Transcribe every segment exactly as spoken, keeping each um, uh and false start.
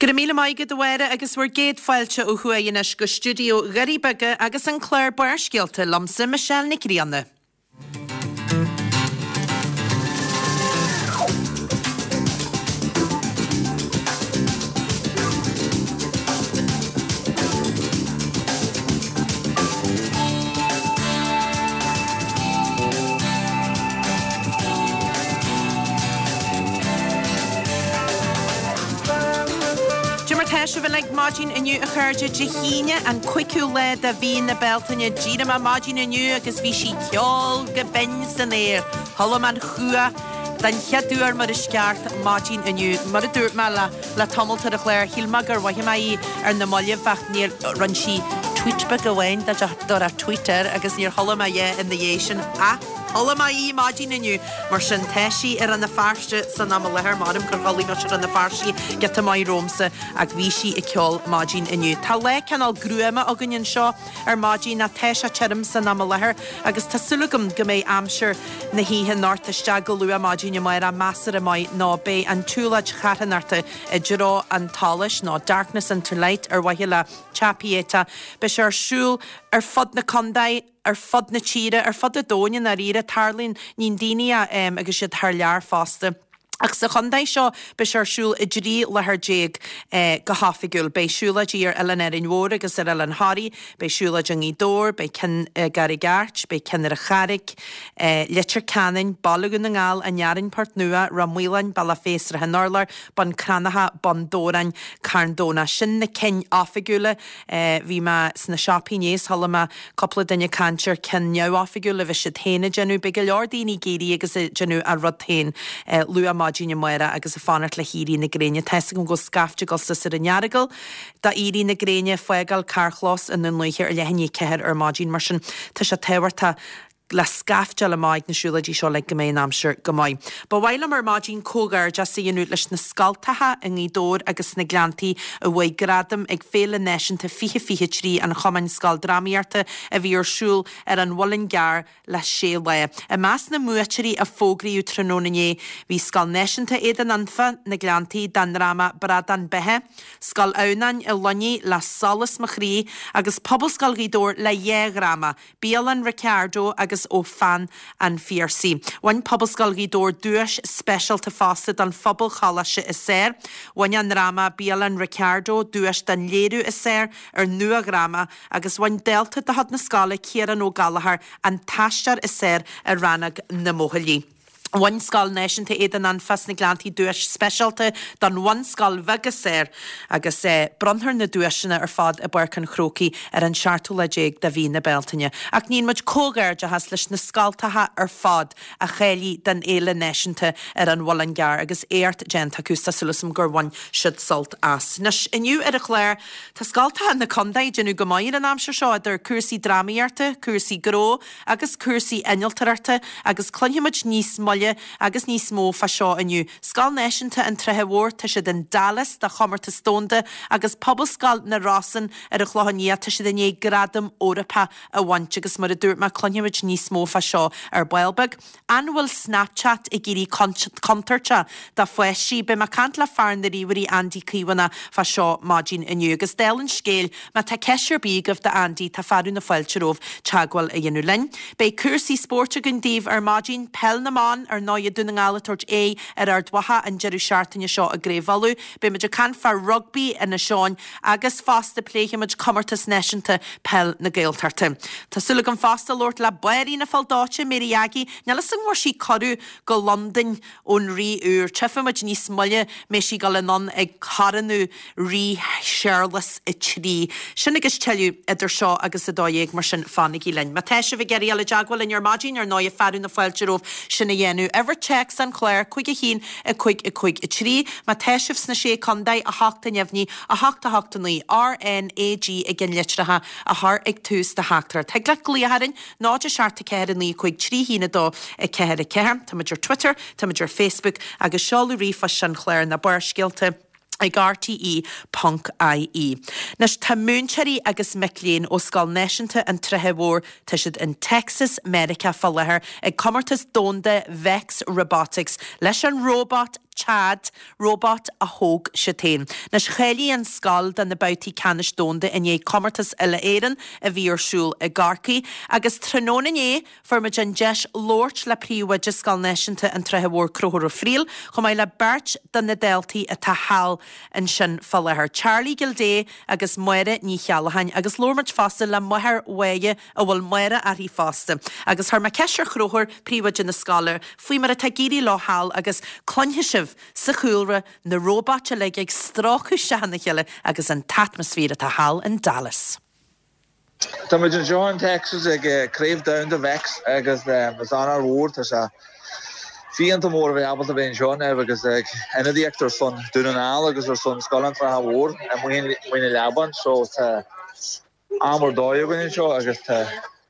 Go raibh míle maith agat a Mháire agus bhur gcéad fáilte ó thuaidh anois go stiúideo Dhoirí Beaga agus an clár Barrscéalta liomsa Michelle Nic Grianna. Cad é mar tá sibh uilig maidin inniu a chairde Dé hAoine an cúigiú lá de mhí na Bealtaine. D'éirigh mé maidin inniu agus bhí sí ag ceol go binn san aer. Chuala mé an chuach den chéad uair mar is ceart maidin inniu. Mar a dúirt mé le le tamalt ar an chlár, shíl mé gur mhothaigh mé í ar na mallaibh ach níor rinne sí tweet beag amháin dá dtabharfá Twitter agus níor chuala mé a dhath ina dhiaidh sin ach chuala mé í maidin inniu. Mar sin tá sí i Rann na Feirste san am i láthair, m'anam gur chodlaigh mise i Rann na Feirste giota maith romhamsa ach bhí sí ag ceol maidin inniu. Tá lá cineál gruama againn anseo ar maidin ach tá sé tirim san am i láthair agus tá súil agam go mbeidh aimsir na hoíche anocht isteach go luath maidin amárach measartha maith nó beidh an tsiúlóid charthanachta i dtreo an tsolais nó Darkness into Light ar mhaithe le Teach Pieta. Beidh sé ar siúl ar fud na contae, ar fud na tíre, ar fud an domhain i ndáiríre. Tarlaíonn níonn daoine é agus iad thar lear fosta. Ach sa chontae seo beidh sé ar siúl i dtrí láthair déag go hoifigiúil. Beidh siúlóidí ar Oileán Árainn Mhór agus ar Oileán Thoraí, beidh siúlóid i nGaoth Dobhair, beidh ceann i gCarraig Airt, beidh ceann ar an Charraig, Leitir Ceanainn, Baile Dhún na nGall, An Fhearainn, Port Nua, Ráth Maoláin, Bealach Féich, Srath an Urláir, Bun Cranncha, Bun Dobhráin, Carn Domhnach. Sin na cinn oifigiúla. Bhí mé sna siopaí inné is chuala mé cúpla duine ag caint ar ceann neamhoifigiúil a bhí siad féin ag déanamh. Beidh go leor daoine ag éirí agus ag déanamh a rud féin luath maidin amárach agus ag fanacht le héirí na gréine. Tá 'fhios agam go bhfuil scaifte ag dul suas ar an Earagail d'éirí na gréine, fágáil carrchlós i nDún Lúiche ar leath i ndiaidh a ceathair ar maidin. Mar sin tá sé tábhachtach le scaifte a fháil amach ag na siúlóidí seo le go mbeidh an aimsir go maith. Ba mhaith liom ar maidin comhghairdeas a dhéanamh leis na scoltacha i nGaoth Dobhair agus sna Gleanntaí a bhuaigh gradam ag Féile Náisiúnta fiche fiche trí an Chumainn Scoildrámaíochta a bhí ar siúl ar an Mhuileann gCearr le sé lá. I measc na mbuaiteoirí a fógraíodh tráthnóna inné bhí Scoil Náisiúnta Aodan Anfa, na Gleanntaí, dá ndráma Bradán Beithe, Scoil Adhamhnáin i Luinnigh le Solas Mo Chroí agus Pobalscoil Ghaoth Dobhair le dhá dhráma, Bialann Ricardo agus Ó Pheann an Phiarsaigh. Bhain Pobalscoil Ghaoth Dobhair duais speisialta fosta don Phobalcholáiste is Fearr. Bhain a ndráma Bialann Ricardo duais don léiriú is fearr ar nua-dhráma agus bhain dalta de chuid na scoile, Ciarán Ó Gallchóir, an t-aisteoir is fearr i rannóg na mbuachaillí. Bhain Scoil Náisiúnta Aodan Anfa sna Gleanntaí duais speisialta don bhunscoil bheag is fearr agus bronnfar na duaiseanna ar fad i bPáirc an Chrócaigh ar an seachtú lá déag de mhí na Bealtaine. Ach níonn muid comhghairdeachas leis na scoltacha ar fad a cháiligh don Fhéile Náisiúnta ar an Mhuileann gCearr agus éacht déanta acu tá súil agam gur bhain siad sult as. Anois, inniu ar an chlár, tá scoltacha na contae ag déanamh go maith ar an aimsir seo idir cúrsaí drámaíochta, cúrsaí gnó agus cúrsaí innealtóireachta agus cluinfimid níos moille agus níos mó fá seo inniu. Scoil Náisiúnta an tSratha Mhóir, tá siad in Dallas do chomórtas domhanda agus Pobalscoil na Rosann ar an Chlochán Liath, tá siad i ndiaidh gradam Eorpach a bhaint agus mar a dúirt mé cluinfimid níos mó fá seo ar ball beag. An bhfuil Snapchat ag éirí contúirteach do pháistí? Beidh mé ag caint le fear na ríomhairí Andy Caomhánach fá seo maidin inniu. Agus dála an scéil, má tá ceist ar bith agaibh do Andy, tá fearadh na fáilte romhaibh teagmháil a dhéanamh linn. Beidh cúrsaí spóirt againn daoibh ar maidin, Peil na mBan, ar ndóigh, Dún na nGall ag tabhairt aghaidh ar Ard Mhacha an deireadh seachtaine seo i gCraobh Uladh. Beidh muid ag caint fá rugbaí Inis Eoghain agus fosta pléifidh muid Comórtas Náisiúnta Peil na Gaeltachta. Tá súil agam fosta labhairt le Báirín na Poll Dóite, Mary Aggie. Níl 'fhios agam an bhfuair sí cuireadh go Londain ón Rí úr. Tchífidh muid níos moille mbeidh sí ag dul anonn ag coronú Rí Séarlas a Trí. Sin agus tuilleadh idir seo agus a dó dhéag, mar sin fanaigí linn. Má tá sibh ag iarraidh dul i dteagmháil linn ar maidin, ar ndóigh, fearadh na fáilte romhaibh sin a dhéanamh. Uimhir téacs an chláir, cúig a haon, a cúig, a cúig, a trí. Má tá sibh sna Sé Contae, a hocht a neamhní, a hocht, a hocht, a naoi, RNAG i gceannlitreacha a chur ag tús do theachtaireacht. Thig leat glaoch orainn, náid a seacht a ceathair a naoi cúig trí haon a dó a ceathair a ceathair. Tá muid ar Twitter, tá muid ar Facebook agus seoladh ríomhphoist an chláir ná Barrscéalta ag rte ponc ie. Anois tá múinteoirí agus mic léinn ó Scoil Náisiúnta an tSratha Mhóir, tá siad in Texas, Meiriceá fá láthair ag Comórtas Domhanda Vex Robotics leis an róbat Chad, róbat a thóg siad féin. Anois cháiligh an scoil do na babhtaí ceannais domhanda i ndiaidh comórtas uile-Éireann a bhí ar siúl i gCorcaigh agus tráthnóna inné fuair muid an deis labhairt le príomhoide Scoil Náisiúnta an tSratha Mhóir Conchúr Ó Frighil, chomh maith le beirt de na daltaí atá thall ansin fá láthair, Charlie Gildea agus Máire Ní Cheallacháin agus labhair muid fosta le máthair Mháire a bhfuil Máire uirthi fosta. Agus chuir mé ceist ar Chonchúr, príomhoide na scoile, faoi mar atá ag éirí leo thall agus cluinfidh sibh sa chúlra na róbait uilig ag stróiceadh isteach ina chéile agus an t-atmaisféar atá thall in Dallas. Tá muid anseo in Texas ag Craobh Domhanda Vex agus is onóir mhór tá sé iontach mór a bheith ábalta bheith anseo inniu agus ag ionadaíocht ar son Dún na nGall agus ar son Scoil an tSratha Mhóir i Maigh na Leaban so tá am ar dóigh againn anseo agus tá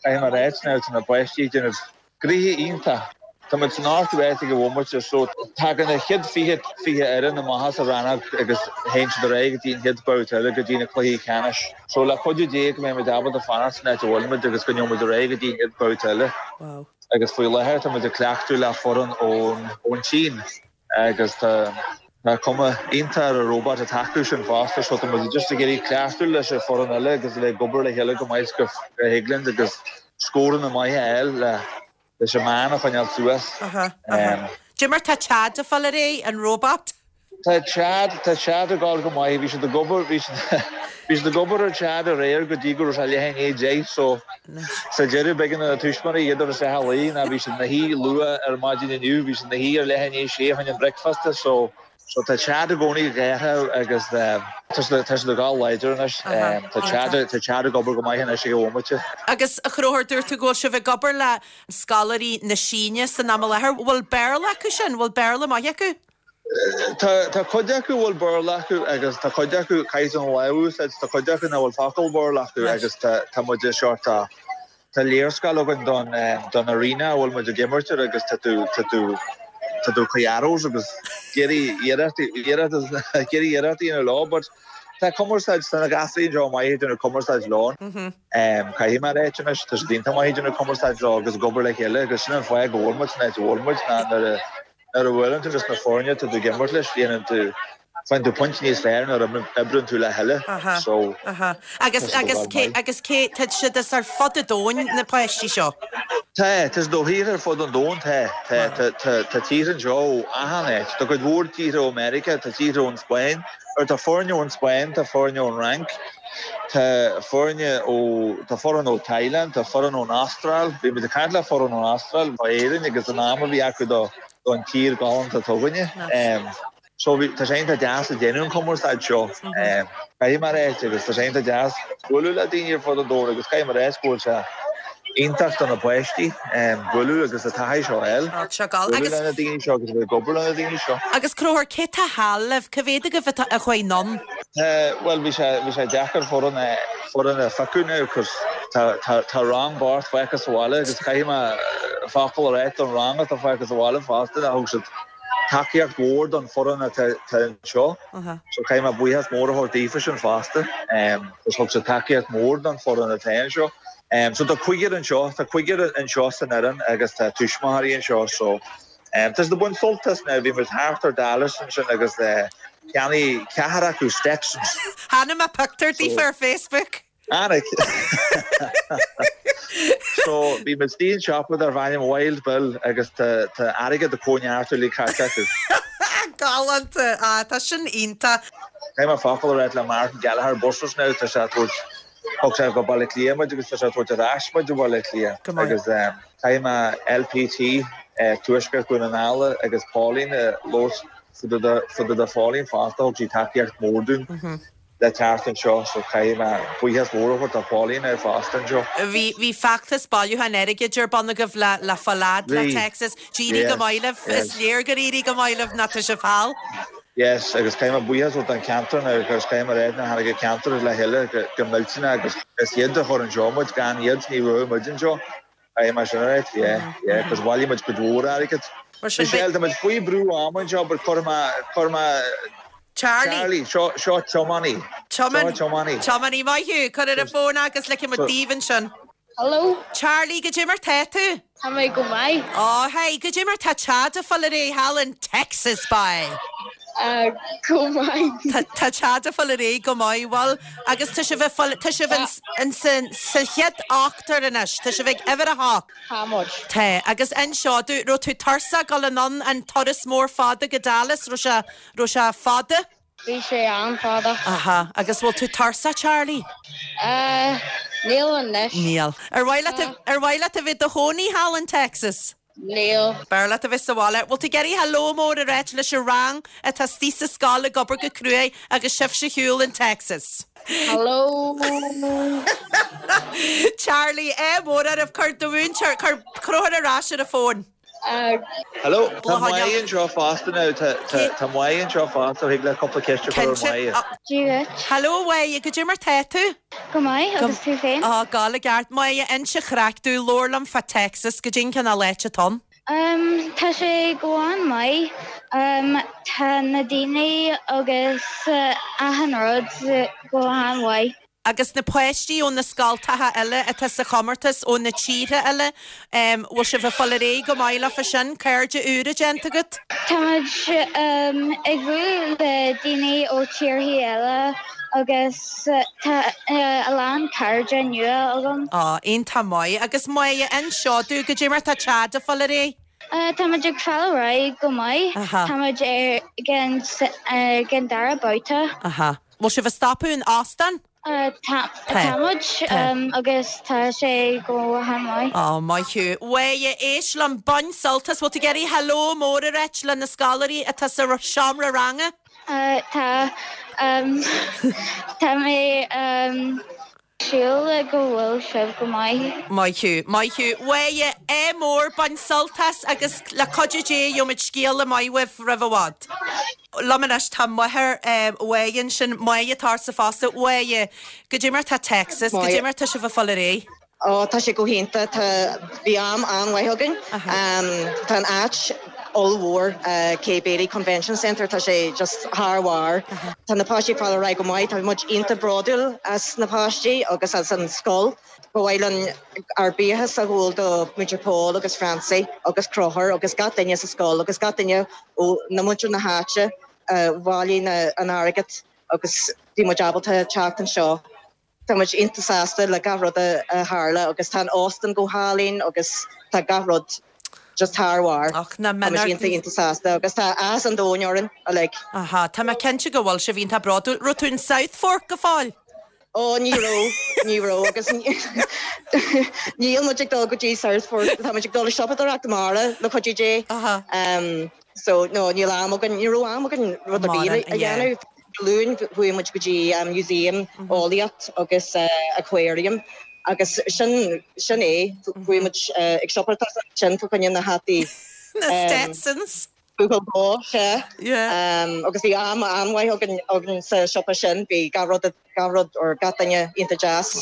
caithfidh mé a ráit now tá na páistí ag déanamh gnoithe iontach. Tá muid san ochtú áit ag an bhomaite so tagann na chéad fiche fiche fhoireann amach as an rannóg agus théann siad ar aghaidh go dtí an chéad babhta eile go dtí na cluichí ceannais. So le cuidiú Dé go mbeidh muid ábalta fanacht san áit a bhfuil muid agus go ngeobhaidh muid ar aghaidh go dtí an chéad babhta eile. Wow. Agus faoi láthair tá muid ag cleachtadh le foireann ón ón tSín agus tá tá cuma iontach ar an robot atá acu sin fosta so tá muid just ag iarraidh cleachtadh leis an foireann eile agus le ag obair le chéile go maith go go thig linn agus scóranna maithe a fháil le leis an meán a choinneáil suas. Aha, aha. Cad é mar tá Chad ag fáil ar aghaidh, an robot? Tá Chad tá Chad ag gabháil go maith, bhí siad ag obair bhí siad bhí siad ag obair ar Chad aréir go dtí go raibh sé leath i ndiaidh deich so sa deireadh b'éigean do na tuismitheoirí iad a chur isteach a luí ná bhí siad ina shuí luath ar maidin inniu, bhí siad ina shuí ar leath i ndiaidh sé chun an bricfeasta so so tá Chad i gcónaí ag gáire agus tá siad tá siad ag gabháil láidir anois. Tá Chad tá Chad ag obair go maith anois ag an bhomaite. Agus a Chonchúir, dúirt tú go bhfuil sibh ag obair le scoláirí na Síne san am i láthair. Bhfuil Béarla acu sin? Bhfuil Béarla maith acu? Tá tá cuid acu a bhfuil Béarla acu agus tá cuid acu caithfidh an lámh a úsáid, tá cuid acu nach bhfuil focal Béarla acu agus tá tá muid sort tá tá léarscáil againn don don arena a bhfuil muid ag imirt air agus tá tú tá tú tá tú ag arrows agus ag iarraidh iarracht iarracht ag iarraidh iarracht a dhéanamh leo but tá cumarsáid tá na gasúir anseo maith ag déanamh cumarsáid leo. Caithfidh mé a ráit anois tá siad iontach maith ag déanamh cumarsáid leo agus ag obair le chéile agus sin an fáth go bhfuil muid san áit a bhfuil muid ná nuair a nuair a bhuaileann tú leis na foirne tá tú ag imirt leis dhéanann tú faigheann tú pointe níos fearr nuair a oibríonn tú le chéile Aha, so aha. Agus tá siad ag agus gabháil cé maith. agus cé tá siad as ar fud an domhain na páistí seo? Tá tá siad ó thíortha ar fud an domhain tá tá tá tá tá tíortha anseo ó achan áit tá cuid mhór tíortha ó Meiriceá tá tíortha ón Spáinn or tá foirne ón Spáinn tá foirne ón Fhrainc tá foirne ó tá foireann ó Thailand tá foireann ón Astráil bhí muid ag caint le foireann ón Astráil ó Éirinn agus an am a bhí acu do don tír galánta atá againne. Nice. So bhí tá sé iontach deas ag déanamh an cumarsáid seo. Caithfidh mé a ráit agus tá sé iontach deas bualadh le daoine ar fud an domhain agus caithfidh mé a ráit go bhfuil sé iontach do na páistí bualadh agus an taithí seo a fháil. Á, tá sé gal. Bualadh Agus le na daoine seo agus a bheith ag obair le na daoine seo. agus Conchúr, cé tá thall libh? Cá mhéad agaibh atá a chuaigh anonn? Tá bhuel bhí sé bhí sé deacair foireann a foireann a phiocadh now cos tá tá tá rang bocht fágtha sa bhaile agus caithfidh mé focal a ráit don rang atá fágtha sa bhaile fosta a thug siad tacaíocht mhór don foireann atá anseo. So caithfidh mé buíochas mór a thabhairt daofa sin fosta. Cos thug siad tacaíocht mhór don foireann atá anseo. So tá cúigear anseo, tá cúigear anseo san fhoireann agus tá tuismitheoirí anseo so tá siad ag baint sult as now. Bhí muid thart ar Dallas ansin agus cheannaigh ceathrar acu Stetsons. Chonaic mé pictiúr daofa ar Facebook. Chonaic. So bhí muid istigh in siopa darb ainm Wild Bill agus tá tá airgead ag cóineartú le caite acu. Galánta, á tá sin iontach. Caithfidh mé focal a ráit le Martin Gallagher Buses now tá sé ag tabhairt thug sé go Baile Átha Cliath muid agus tá sé ag tabhairt ar ais muid go Baile Átha Cliath Go maith. agus caithfidh mé LPT Tuaisceart Dhún na nGall agus Pauline labhairt fá dtaobh de Pauline fosta thug sí tacaíocht mhór dúinn le teacht anseo so caithfidh mé buíochas mór a thabhairt do Pauline ar fosta anseo. Bhí bhí feachtas bailiúcháin airgid ar bun agaibh le le fáil fhad le Bhí. Texas. D'éirigh go Yes, maith libh. yes. Is léir gur éirigh go maith libh ná tá sibh thall. Yes, agus caithfidh mé buíochas a thabhairt don cheantar now agus caithfidh mé a rá ná tháinig an ceantar le chéile go go millteanach agus is iad a chuir anseo muid gan iad ní raibh muid anseo. Caithfidh mé sin a ráit, yeah, yeah, cos bhailigh muid cuid mhór airgid. Mar sin Michelle, tá muid faoi brú ama anseo but chuir mé chuir mé Charlie. Charlie, seo seo tiománaí. Tiomáin Seo tiománaí. Tiománaí maith thú, cuir ar an bhfón agus ligfidh muid So daoibh ansin. Hello. Charlie, goidé mar tá tú? Tá mé go maith. Ó hey, goidé mar tá Chad ag fáil ar aghaidh thall in Texas by. Uh, go maith. Tá Chad ag fáil ar aghaidh go maith bhfuil agus tá sibh tá sibh in sa chéad ochtar anois, Tá sibh ag uimhir a hocht. Tá muid. Tá agus anseo dú raibh tú tuirseach dul anonn an turas mór fada go Dallas raibh sé raibh sé fada? Bhí sé an-fhada. Aha, agus bhfuil tú tuirseach Charlie? Uh, níl anois. Níl. Ar mhaith ar mhaith leat a bheith i do chónaí thall in Texas? Níl. B'fhearr leat a bheith sa bhaile, Bhfuil tú ag iarraidh hello mór a ráit leis an rang atá istigh sa scoil ag obair go cruaidh agus sibh sa shiúl in Texas. Hello. Charlie é mór ar cuir do mhúinteoir cuir Conchúr ar ais ar an bhfón. Uh, Hello, Tá Máire anseo fosta now tá Máire anseo fosta thig le cúpla ceist a chur ar Máire. Dia duit. Hello Máire, goidé mar tá tú? Go maith agus tú féin? Á gal i gceart Máire inis an chraic dúinn labhair liom fá Texas goidé an cineál áit atá ann. Um, tá sé go han-mhaith. Um, tá na daoine agus uh, achan rud go han-mhaith. Agus na páistí ó na scoltacha eile atá sa chomórtas ó na tíortha eile, um, bhfuil sibh ag fáil ar aghaidh go maith leofa sin cairde úra déanta agat? Tá muid um, ag bualadh le daoine ó tíortha eile agus uh, tá uh, a lán cairde nua agam. Á iontach maith agus Máire anseo dú goidé mar tá Chad ag fáil ar aghaidh? Uh, tá muid ag fáil ar aghaidh go maith. Aha. Tá muid ar gan uh, gan dara babhta. Aha. Bhfuil sibh ag stopadh in Austin? Uh, tá Tá. tá muid Tá. um, agus tá sé go han-mhaith. Á maith thú. Mháire éist liom bain sult as bhfuil tú ag iarraidh hello mór a ráit le na scoláirí atá sa seomra ranga? Uh, tá um, tá mé um, siúl go bhfuil sibh go maith. Maith thú, maith thú. Mháire é mór bain sult as agus le cuidiú Dé gheobhaimid scéala maith uaibh roimh i bhfad. Liom anois tá máthair Mháire sin Máire atá fosta Mháire, goidé mar tá Texas, goidé mar tá sibh ag fáil ar aghaidh. Ó tá sé go hiontach tá bhí am an-mhaith againn. Tá an áit ollmhór uh, Kay Bailey Convention Center tá sé just thar barr. Tá na páistí ag fáil ar aghaidh go maith tá muid iontach bródúil as na páistí agus as an scoil. Ba mhaith linn ár mbuíochas a ghabháil do Muintir Paul agus Francie agus Conchúr agus gach duine sa scoil agus gach duine ó na muintir na háite uh, bhailigh na an airgead agus bhí muid ábalta teacht anseo. Tá muid iontach sásta le gach rud a tharla agus tá Austin go hálainn agus tá gach rud just thar barr. Ach na iontach iontach sásta agus tá áthas an domhain orainn a like. Aha, Tá mé cinnte go bhfuil sibh iontach bródúil raibh tú in South Fork go fóill. Ó ní raibh ní raibh agus níl muid ag dul go dtí South Fork tá muid ag dul siopadóireacht amárach le cuidiú Dé. Um, so no níl am againn ní raibh am againn rud a bhí a dhéanamh. Luan chuaigh muid go dtí um, museum eolaíocht agus uh, aquarium agus sin sin é chuaigh muid uh, ag siopadóireacht sin fá choinne na hataí. Na Stetsons. Google Bó sé um, agus bhí am an-mhaith againn againn sa siopa sin bhí gach rud gach rud or gach duine iontach deas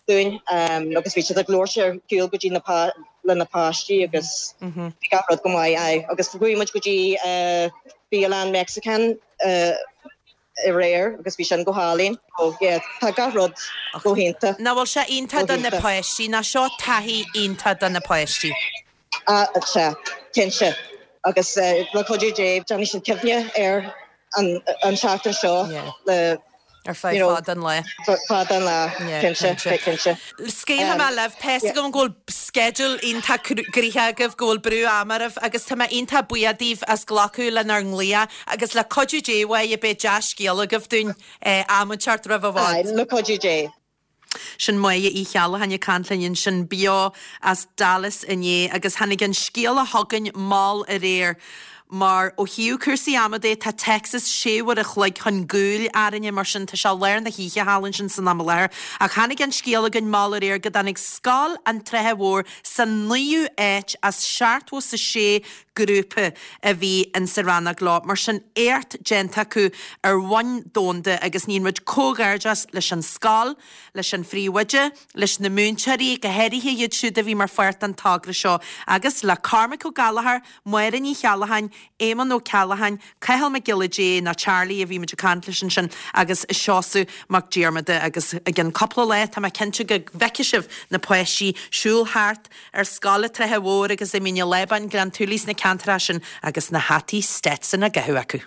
dúinn um, agus bhí siad ag labhairt ar cúl go dtí na pá le na páistí agus bhí gach rud go maith é agus chuaigh muid go dtí uh, bialann Mexican uh, aréir agus bhí sin go hálainn ó yeah, tá gach rud go hiontach. Nach bhfuil sé iontach do na páistí ná seo taithí iontach do na páistí. Ah, sé cinnte agus uh, le cuidiú Dé déanfaidh siad cuimhne ar an, an seachtain seo le Ar feadh fad an lae. Fad an lá cinnte cinnte. Scaoilfidh mé libh tá go bhfuil schedule iontach gnoitheach agaibh go bhfuil brú ama oraibh agus tá mé iontach buíoch daoibh as glacadh lenár nglaoch agus le cuidiú Dé uaidh beidh dea-scéal agaibh dúinn am inteacht roimh i bhfad. Le cuidiú Dé. Sin Máire Uí Cheallacháin ag caint linn sin beo as Dallas inné agus tháinig an scéal a chugainn mall aréir. Mar ó thaobh cúrsaí ama de tá Texas sé uair a chloig chun cúil orainne mar sin tá sé lár na hoíche thall ansin san am i láthair ach tháinig an scéal chugainn mall aréir go dtáinig Scoil an Troithe Mhóir sa naoú háit as seachtó is a sé grúpa a bhí in sa rannóg leo mar sin éacht déanta acu ar bhonn domhanda agus níonn muid comhghairdeas leis an scoil, leis an phríomhoide, leis na múinteoirí go háirithe iad siúd a bhí mar pháirt den togra seo agus le Cormac Ó Gallchóir, Máire Ní Cheallacháin, Éamonn Ó Ceallacháin, Cathal Mac Giolla Dé nó Charlie a bhí muid ag caint leis ansin agus Seosamh Mac Diarmada agus i gcionn cúpla lá tá mé cinnte go bhfeicfidh sibh na páistí siúl thart ar scoil an tSratha Mhóir agus i Mín an Lábáin, Gleann tSúilí sna ceantracha sin agus na hataí Stetson á gcaitheamh acu.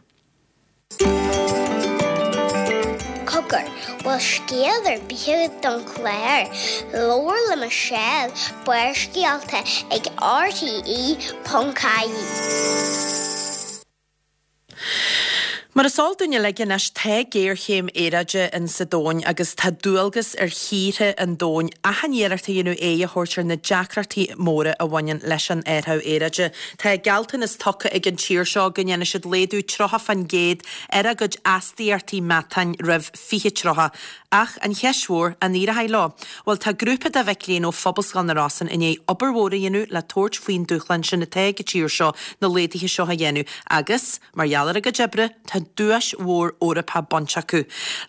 Cogar, bhfuil scéal ar bith agat don chlár? Labhair le Michelle, Barrscéalta ag RTE ponc ie. Mar is eol dúinn uilig anois, tá géarchéim aeráide in sa domhain agus tá dualgas ar thíortha an domhain achan iarracht a dhéanamh aghaidh a thabhairt ar na deacrachtaí móra a bhaineann leis an athrú aeráide. Tá gealltanas tugtha ag an tír seo go ndéanfaidh siad laghdú tríocha faoin gcéad ar a gcuid astaíochtaí meatáin roimh fiche tríocha. Ach an cheist mhór, an éireoidh leo? Bhuel, tá grúpa de mhic léinn ó Phobalscoil na Rosann i ndiaidh obair mhór a dhéanamh le tabhairt faoin dúshlán sin atá ag an tír seo na laghduithe seo a dhéanamh agus, mar gheall ar a gcuid oibre, tá duais mhór Eorpach bainte acu.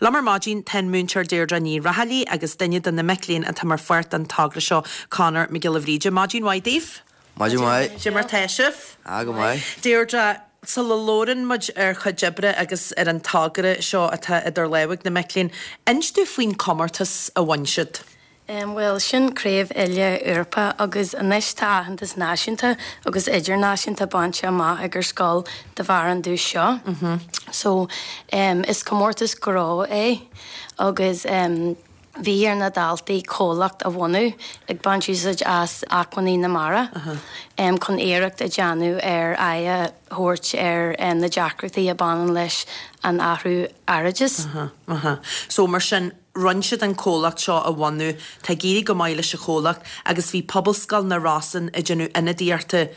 Liom ar maidin tá an múinteoir Deirdre Ní Raghallaigh agus duine de na mic léinn atá mar pháirt den togra seo, Conor Mac Giolla Bhríde. Maidin mhaith daoibh. Maidin mhaith. Cad é mar tá sibh? Ah, go maith. Deirdre, sula labhrann muid ar chuid oibre agus ar an togra seo atá idir lámha ag na mic léinn, inis dúinn faoin comórtas a bhain siad. Bhuel, sin Craobh Uile Eorpa agus anois tá aitheantas náisiúnta agus idirnáisiúnta bainte amach ag ár scoil de bharr an duais seo. So, is comórtas gnó é agus bhí ar na daltaí comhlacht a bhunú ag baint úsáid as acmhainní na mara chun iarracht a dhéanamh ar aghaidh a thabhairt ar na deacrachtaí a bhaineann leis an athrú aeráide. So mar sin, rinne siad an comhlacht seo a bhunú, tá ag éirí go maith leis an chomhlacht agus bhí Pobalscoil na Rosann ag déanamh ionadaíochta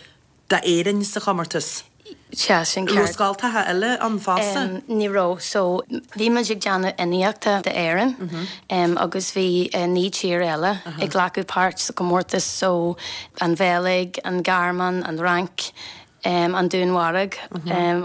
d'Éirinn sa chomórtas. Sea, sin Raibh ceart. scoltacha eile ann fosta? Ní raibh. So, bhí muid ag déanamh ionadaíochta d'Éirinn agus bhí naoi tír eile ag glacadh páirt sa chomórtas, so an Bheilg, an Ghearmáin, an Fhrainc, an Danmhairg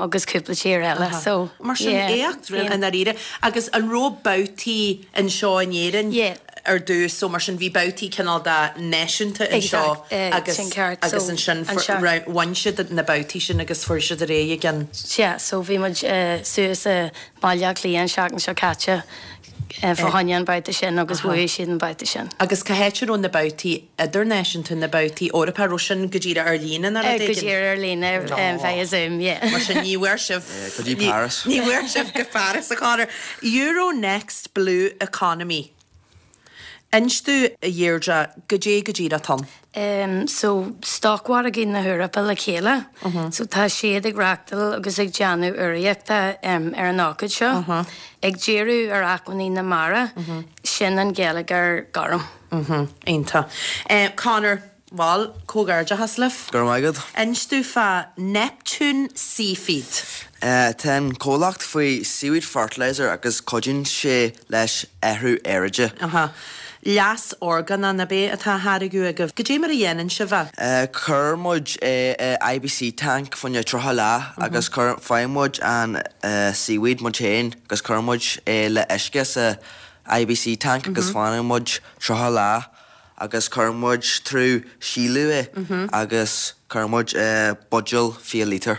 agus cúpla tír eile. So, Mar sin yeah. éacht i ndáiríre. Agus an raibh babhtaí anseo in Éirinn Yeah. ar dtús, so mar sin bhí babhtaí cineál de náisiúnta anseo Exact, eh, agus sin ceart. agus So, ansin anseo. bhain siad na babhtaí sin agus fuair siad ar aghaidh again. Yeah, so bhí muid eh, suas i Baile Átha Cliath an seachtain seo caite eh, fá choinne an babhta sin agus bhuaigh siad an babhta sin. Agus cá háit a raibh na babhtaí idirnáisiúnta, na babhtaí Eorpacha, raibh sin go díreach ar líne nó Eh, rud Go éigin? díreach ar líne um, via Zoom, yeah. Mar sin ní bhfuair sibh go dtí ní- Paris. Ní bhfuair sibh go Paris a Chonor. Euronext Blue Economy. Inis dúinn a Dheirdre, goidé go díreach atá ann. Um, so stocmhargaí na hEorpa le chéile. So tá siad ag reáchtáil agus ag déanamh urraíochta um, ar an ócáid seo. Ag díriú ar acmhainní na mara, sin an geilleagar gorm. Mhm, Iontach. Eh, Conor, bhuel, comhghairdeachas libh. Go raibh maith agat. Inis dúinn fá Neptune Seafeed. Uh, tá an comhlacht faoi seaweed fertilizer agus cuidíonn sé leis athrú aeráide. Aha. Leas orgánach ab é atá á tháirgeadh agaibh. Goidé mar a dhéanann sibh é. Uh, Chuir muid uh, uh, IBC tank fá choinne tríocha lá agus chuir faigheann muid an uh, seaweed muid féin agus chuir muid é le uisce sa IBC tank agus fanann muid tríocha lá agus chuir muid trí sileadh é agus chuir muid uh, buidéal fiche lítear.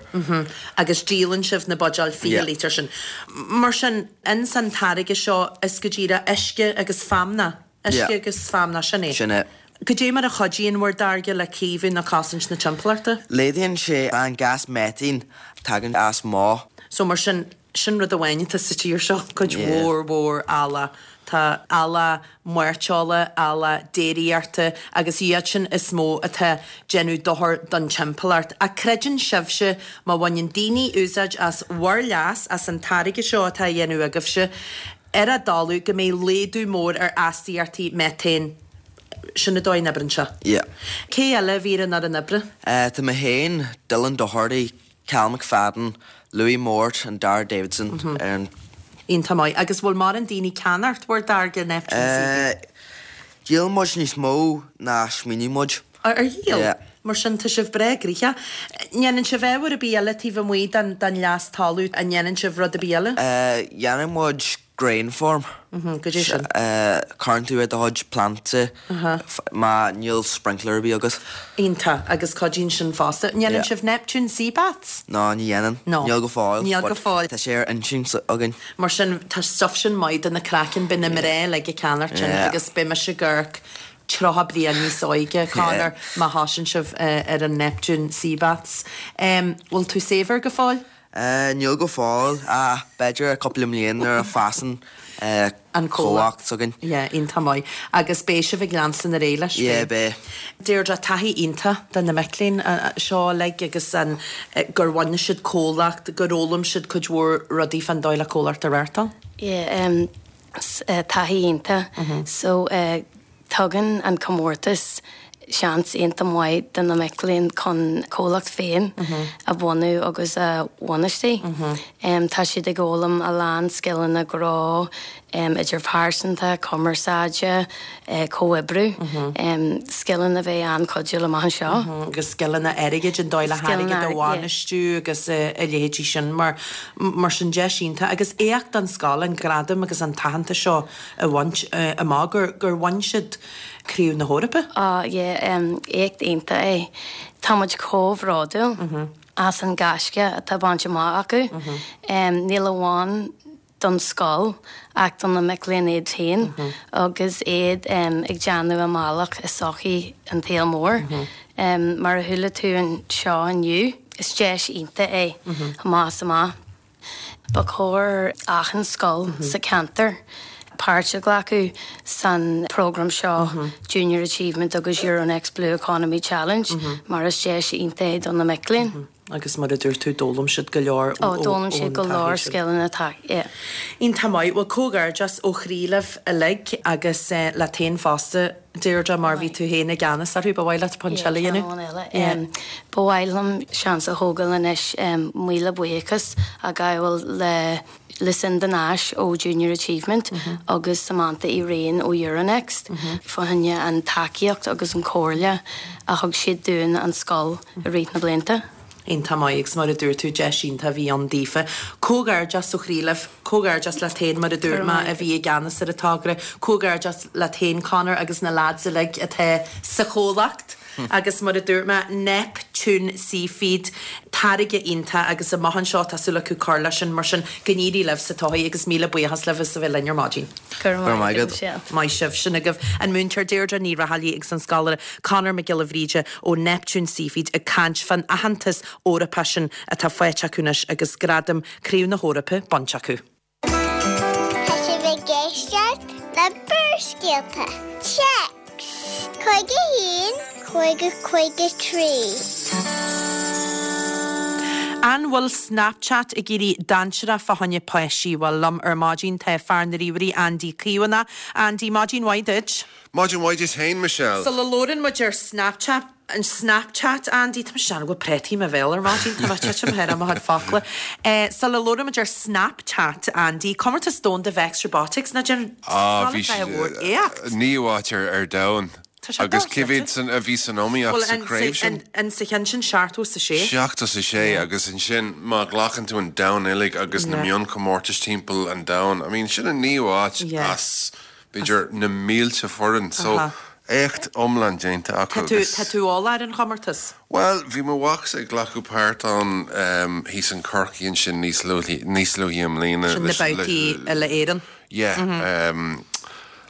Agus díolann sibh na buidéil fiche Yeah. lítear sin. Mar sin in san táirge seo is go díreach uisce agus feamnach. Uisce Yeah. agus feamnach sin é. Sin é. Goidé mar a chuidíonn bhur dtáirge le caomhnú nó cosaint na timpeallachta. Laghdaíonn sé an gas methane tagann as má. So mar sin sin rud amháin atá sa tír seo cuid Yeah. mhór mhór eallach. Tá eallach mairteola, eallach déiríochta agus iad sin is mó atá déanamh dochar don timpeallacht. A creideann sibhse má bhaineann daoine úsáid as bhur leas as an táirge seo atá á dhéanamh agaibhse, ar a dtalamh go mbeidh laghdú mór ar astaíochtaí methane sin an dóigh a n-oibríonn sé. Yeah. Cé eile a bhí ar an oibre? Uh, tá mé féin Dylan Doherty, Cal McFadden, Louis Mort and Dara Davidson ar an Iontach maith agus bhfuil mar an daoine ceannacht bhur dtáirge Neptune Seafeed? Uh, Díol muid níos mó ná smaoinigh muid. Ar ar dhíol? Yeah. Mar sin tá sibh breá gnoitheach. Ndéanann sibh ábhar ar bith eile taobh amuigh den den leas talaimh an ndéanann sibh rud ar bith eile? Uh, Dhéanann muid Grain farm. Goidé sin? Cuireann tú ar do chuid plantaí má níl sprinkler ar bith agat. Iontach, agus cuidíonn sin fosta. Ndéanann sibh Neptune Sea Baths? No, ní dhéanann. No. Níl go fóill. Níl go fóill. Tá sé ar intinn againn. Mar sin, tá stuff sin maith do na craiceann, beidh na mná uilig ag ceannacht sin agus beidh mise ag amharc tríocha bliain níos óige, Conor, má thosaíonn sibh ar an Neptune Sea Baths. Bhfuil tú saibhir go fóill? Níl go fóill, ach b'fhéidir cúpla mbliain nuair a fásann an comhlacht s'againn. Yeah, iontach maith. Agus beidh sibh ag leanstan ar aghaidh leis? Yeah, beidh. Deirdre, taithí iontach do na mic léinn seo uilig agus an gur bhain siad comhlacht, gur fhoghlaim siad cuid mhór rudaí fán dóigh le comhlacht a reáchtáil? Yeah, taithí iontach. So, tugann an comórtas seans iontach maith do na mic léinn chun comhlacht féin a bhunú agus a bhainistiú. Tá siad ag fhoghlaim a lán scileanna gnó, idirphearsanta, cumarsáide, comhoibriú, scileanna a bheidh an-chuidiúil amach anseo. Agus scileanna airgid, an dóigh le hairgead a bhainistiú agus a leithéidí sin mar mar sin deis iontach. Agus éacht don scoil an gradam agus an t-aitheantas seo a bhaint amach gur gur bhain siad Craobh na hEorpa. Á, yeah, éacht iontach é. Tá muid chomh bhródúil as an gaisce atá bainte amach acu. Níl amháin don scoil ach do na mic léinn iad féin agus iad ag déanamh a mbealach i sochaí an tsaoil mhóir. Mar a chuala tú anseo inniu, is deis iontach é amach is amach. Ba chóir achan scoil sa cheantar páirt a ghlacadh san program seo Junior Achievement agus Euronext Blue Economy Challenge mar is deis iontach é do na mic léinn. Agus mar a dúirt tú, d'fhoghlaim siad go leor ón taithí sin. Ó, d'fhoghlaim siad go leor scileanna, tá, yeah. Iontach maith. Bhuel, comhghairdeas ó chroí libh uilig agus leat féin fosta, Deirdre, mar bhí tú féin i gceannas orthu. Ba mhaith leat pointe eile a dhéanamh? Yeah, ceann amháin eile. Ba mhaith liom seans a thógáil anois míle buíochas a ghabháil le Lucinda Nash ó Junior Achievement agus Samantha Uí Riain ó Euronext fá choinne an tacaíocht agus an chomhairle a thug siad dúinn an scoil i rith na blianta. Iontach maith agus mar a dúirt tú deis iontach a bhí ann daofa. Comhghairdeas ó chroí libh, comhghairdeas leat féin mar a dúirt mé a bhí i gceannas ar an togra, comhghairdeas leat féin Conor agus na lads uilig atá sa chomhlacht. Agus mar a dúirt mé, Neptune Seafeed, táirge iontach agus amach anseo tá súil acu cur leis sin, mar sin go n-éirí libh sa todhchaí agus míle buíochas libh as a bheith linn ar maidin. Go raibh maith agat, Michelle. Maith sibh. Sin agaibh an múinteoir Deirdre Ní Raghallaigh agus an scoláire Conor Mac Giolla Bhríde ó Neptune Seafeed ag caint fán aitheantas Eorpach sin atá faighte acu anois agus gradam Craobh na hEorpa bainte acu. Tá sibh ag éisteacht le Barrscéalta. Téacs, Cúig a haon, cúig a cúig a trí. An bhfuil Snapchat ag éirí dainséarach fá choinne páistí? Bhuel, liom ar maidin tá fear na ríomhairí Andy Caomhánach. Andy, maidin mhaith duit. Maidin mhaith duit féin, Michelle. Sula labhrann muid ar Snapchat, an Snapchat, Andy, tá mise ag déanamh go bhfuil préataí i mo bhéal ar maidin, tá mé ag titim thar mo chuid focla. Sula labhrann muid ar Snapchat, Andy, comórtas domhanda Vex Robotics, ná déan Ah, bhí sé mhór éacht. Naoú háit ar ar domhan. Tá sé Agus cé dochreidte. mhéad san a bhí san iomaíocht Bhuel, sa an, chraobh sin? an, an sa cheann sin seachtó is a sé. Seachtó is a sé agus ansin má ghlacann tú an domhan uilig agus na Yeah. mionchomórtais timpeall an domhain, I mean, sin an naoú háit Yeah. as b'fhéidir na mílte foireann. So, Aha. éacht iomlán déanta acu Tá tú, agus tá tú eolach ar an chomórtas? Bhuel, bhí mo mhacsa ag glacadh páirt ann um, thíos in Corcaigh ansin níos luaithe níos luaithe i mbliana Sin na leis- le- babhtaí uile-Éireann. Yeah, um,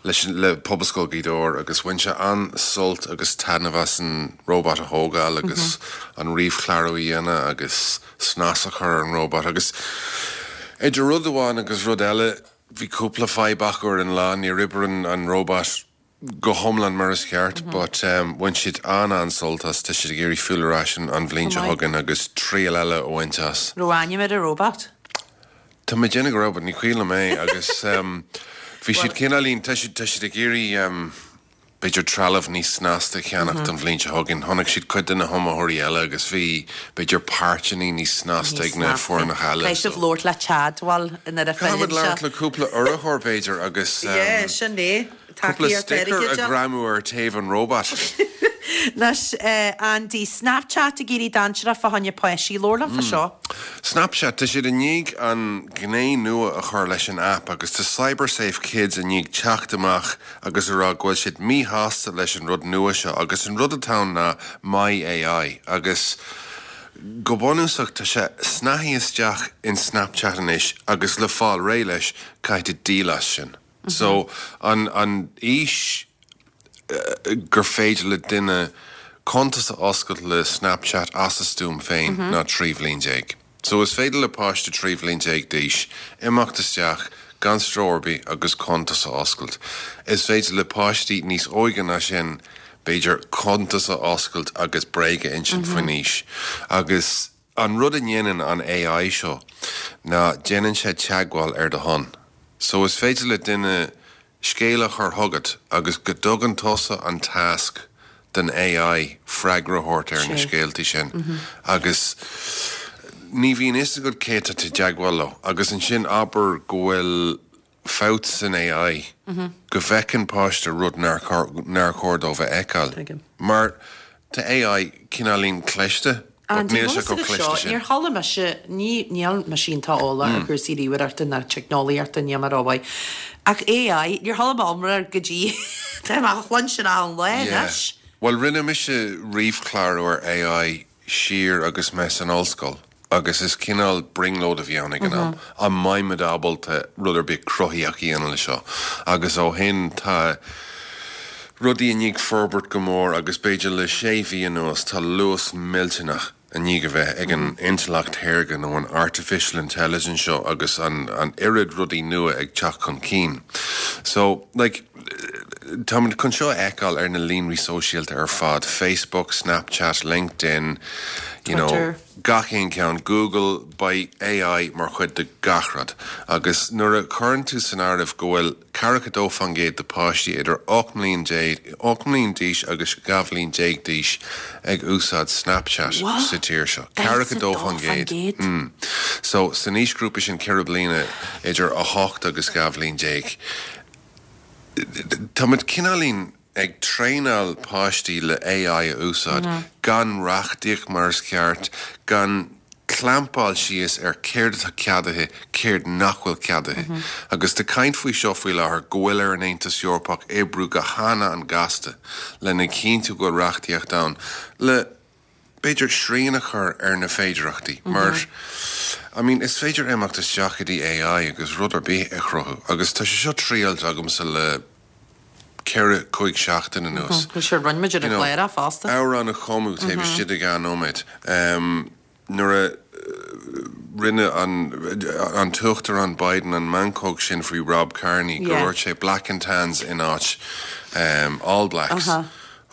leis an- le Pobalscoil Ghaoth Dobhair agus bhain sé an-sult agus taitneamh as an robot a thógáil agus an ríomhchlárú a dhéanamh agus snas a chur ar an robot agus idir rud amháin agus rud eile bhí cúpla fadhb acu ar an lá níor oibrigh an, an robot go hiomlán mar is ceart, but um, bhain siad an an-sult as tá siad ag iarraidh filleadh ar ais an, an bhliain seo Go maith. chugainn agus triail eile a bhaint as. Raibh ainm ar an robot? Tá mé ag déanamh go raibh, but ní cuimhin liom é agus um, bhí siad cineáilín tá siad tá siad ag iarraidh um, b'fhéidir trealamh níos snasta a cheannach don bhliain seo chugainn. Chonaic siad cuid de na hiomaitheoirí eile agus bhí b'fhéidir páirteanna níos snasta ag na Níos snasta. foirneacha eile. Caithfidh sibh labhairt le Chad, bhuel, nuair a Caithfimid fhilleann labhairt sé. le cúpla urraitheoir b'fhéidir agus um, Yeah, sin é. cúpla Tacaíocht sticker a airgid. ghreamú ar taobh an robot. Anois Andy, Snapchat ag éirí dainséarach fá choinne páistí, labhair liom fá seo. Snapchat, tá siad i ndiaidh an ghné nua a chur leis an app agus tá CyberSafe Kids i ndiaidh teacht amach agus a rá go bhfuil siad míshásta leis an rud nua seo agus an rud atá ann ná My AI agus go bunúsach tá sé snáithe isteach in Snapchat anois agus le fáil réidh leis caithfidh tú díol as sin. So an an aois gur féidir le duine cuntas a oscailt le Snapchat as a stuaim féin ná trí bhliain déag. So is féidir le páiste trí bhliain déag d'aois imeacht isteach gan stró ar bith agus cuntas a oscailt. Is féidir le páistí níos óige ná sin b'fhéidir cuntas a oscailt agus bréag a insint faoin aois. Agus an rud a dhéanann an AI seo ná déanann sé teagmháil ar do shon. So is féidir le duine scéal a chur chugat agus go dtugann tusa an tasc don AI freagra a thabhairt ar na scéaltaí sin. Agus ní bhíonn fhios agat cé atá tú i dteagmháil leo. Agus ansin abair go bhfuil fabht san AI, go bhfeiceann páiste rud nár nár chóir dóibh a fheiceáil. Mar tá AI cineáilín cliste, but Andy, níl sé chomh cliste sin. Níor chuala mise, ní, níl mise iontach eolach ar chúrsaí ríomhaireachta ná teicneolaíochta, níl mé rómhaith. Ach AI, níor chuala mé iomrá air go dtí tá mé á chluinstin achan lá anois. Bhuel, rinne mise ríomhchlárú ar AI siar agus mé san ollscoil agus is cineál brionglóid a bhí ann ag an am. An mbeidh muid ábalta rud ar bith cruthaitheach a dhéanamh le seo. Agus ó shin tá rudaí i ndiaidh forbairt go mór agus b'fhéidir le sé mhí anuas tá luas millteanach i ndiaidh a bheith ag an intleacht shaorga nó an artificial intelligence seo agus an an oiread rudaí nua ag teacht chun cinn. So, like, táimid chun seo a fheiceáil ar na líonraí sóisialta ar fad, Facebook, Snapchat, LinkedIn, you know, Twitter. gach aon cheann, Google, beidh AI mar chuid de gach rud. Agus nuair a chuireann tú san áireamh go bhfuil ceathracha dó faoin gcéad de páistí idir ocht mbliain déag, ocht mbliain d'aois agus dhá bhliain déag d'aois ag úsáid Snapchat What? sa tír seo. Ceathracha dó faoin gcéad. gcéad. Mm. So san aoisghrúpa sin ceithre bliana idir a hocht agus dhá bhliain déag. Táimid cineáilín ag traenáil páistí le AI a úsáid, gan reachtaíocht mar is ceart, gan clampáil síos ar céard atá ceadaithe, céard nach bhfuil ceadaithe. Agus tá caint faoi seo faoi láthair go bhfuil ar an Aontas Eorpach oibriú go han-an-ghasta lena chinntiú go bhfuil reachtaíocht ann le b'fhéidir srian a chur ar na féidearthachtaí mar I mean is féidir imeacht isteach go dtí AI agus rud ar bith a chruthú agus tá sé seo triailte agamsa le ceithre cúig seachtain anuas. Bhfuil sé roinn muid ar You know, an chléir fosta. Amhrán a chumadh taobh istigh de dhá nóiméad. Um, nuair a rinne an an tUachtarán Biden an meancóg sin faoi Rob Kearney go Yeah. dúirt sé Black and Tans in áit um, All Blacks. Uh-huh.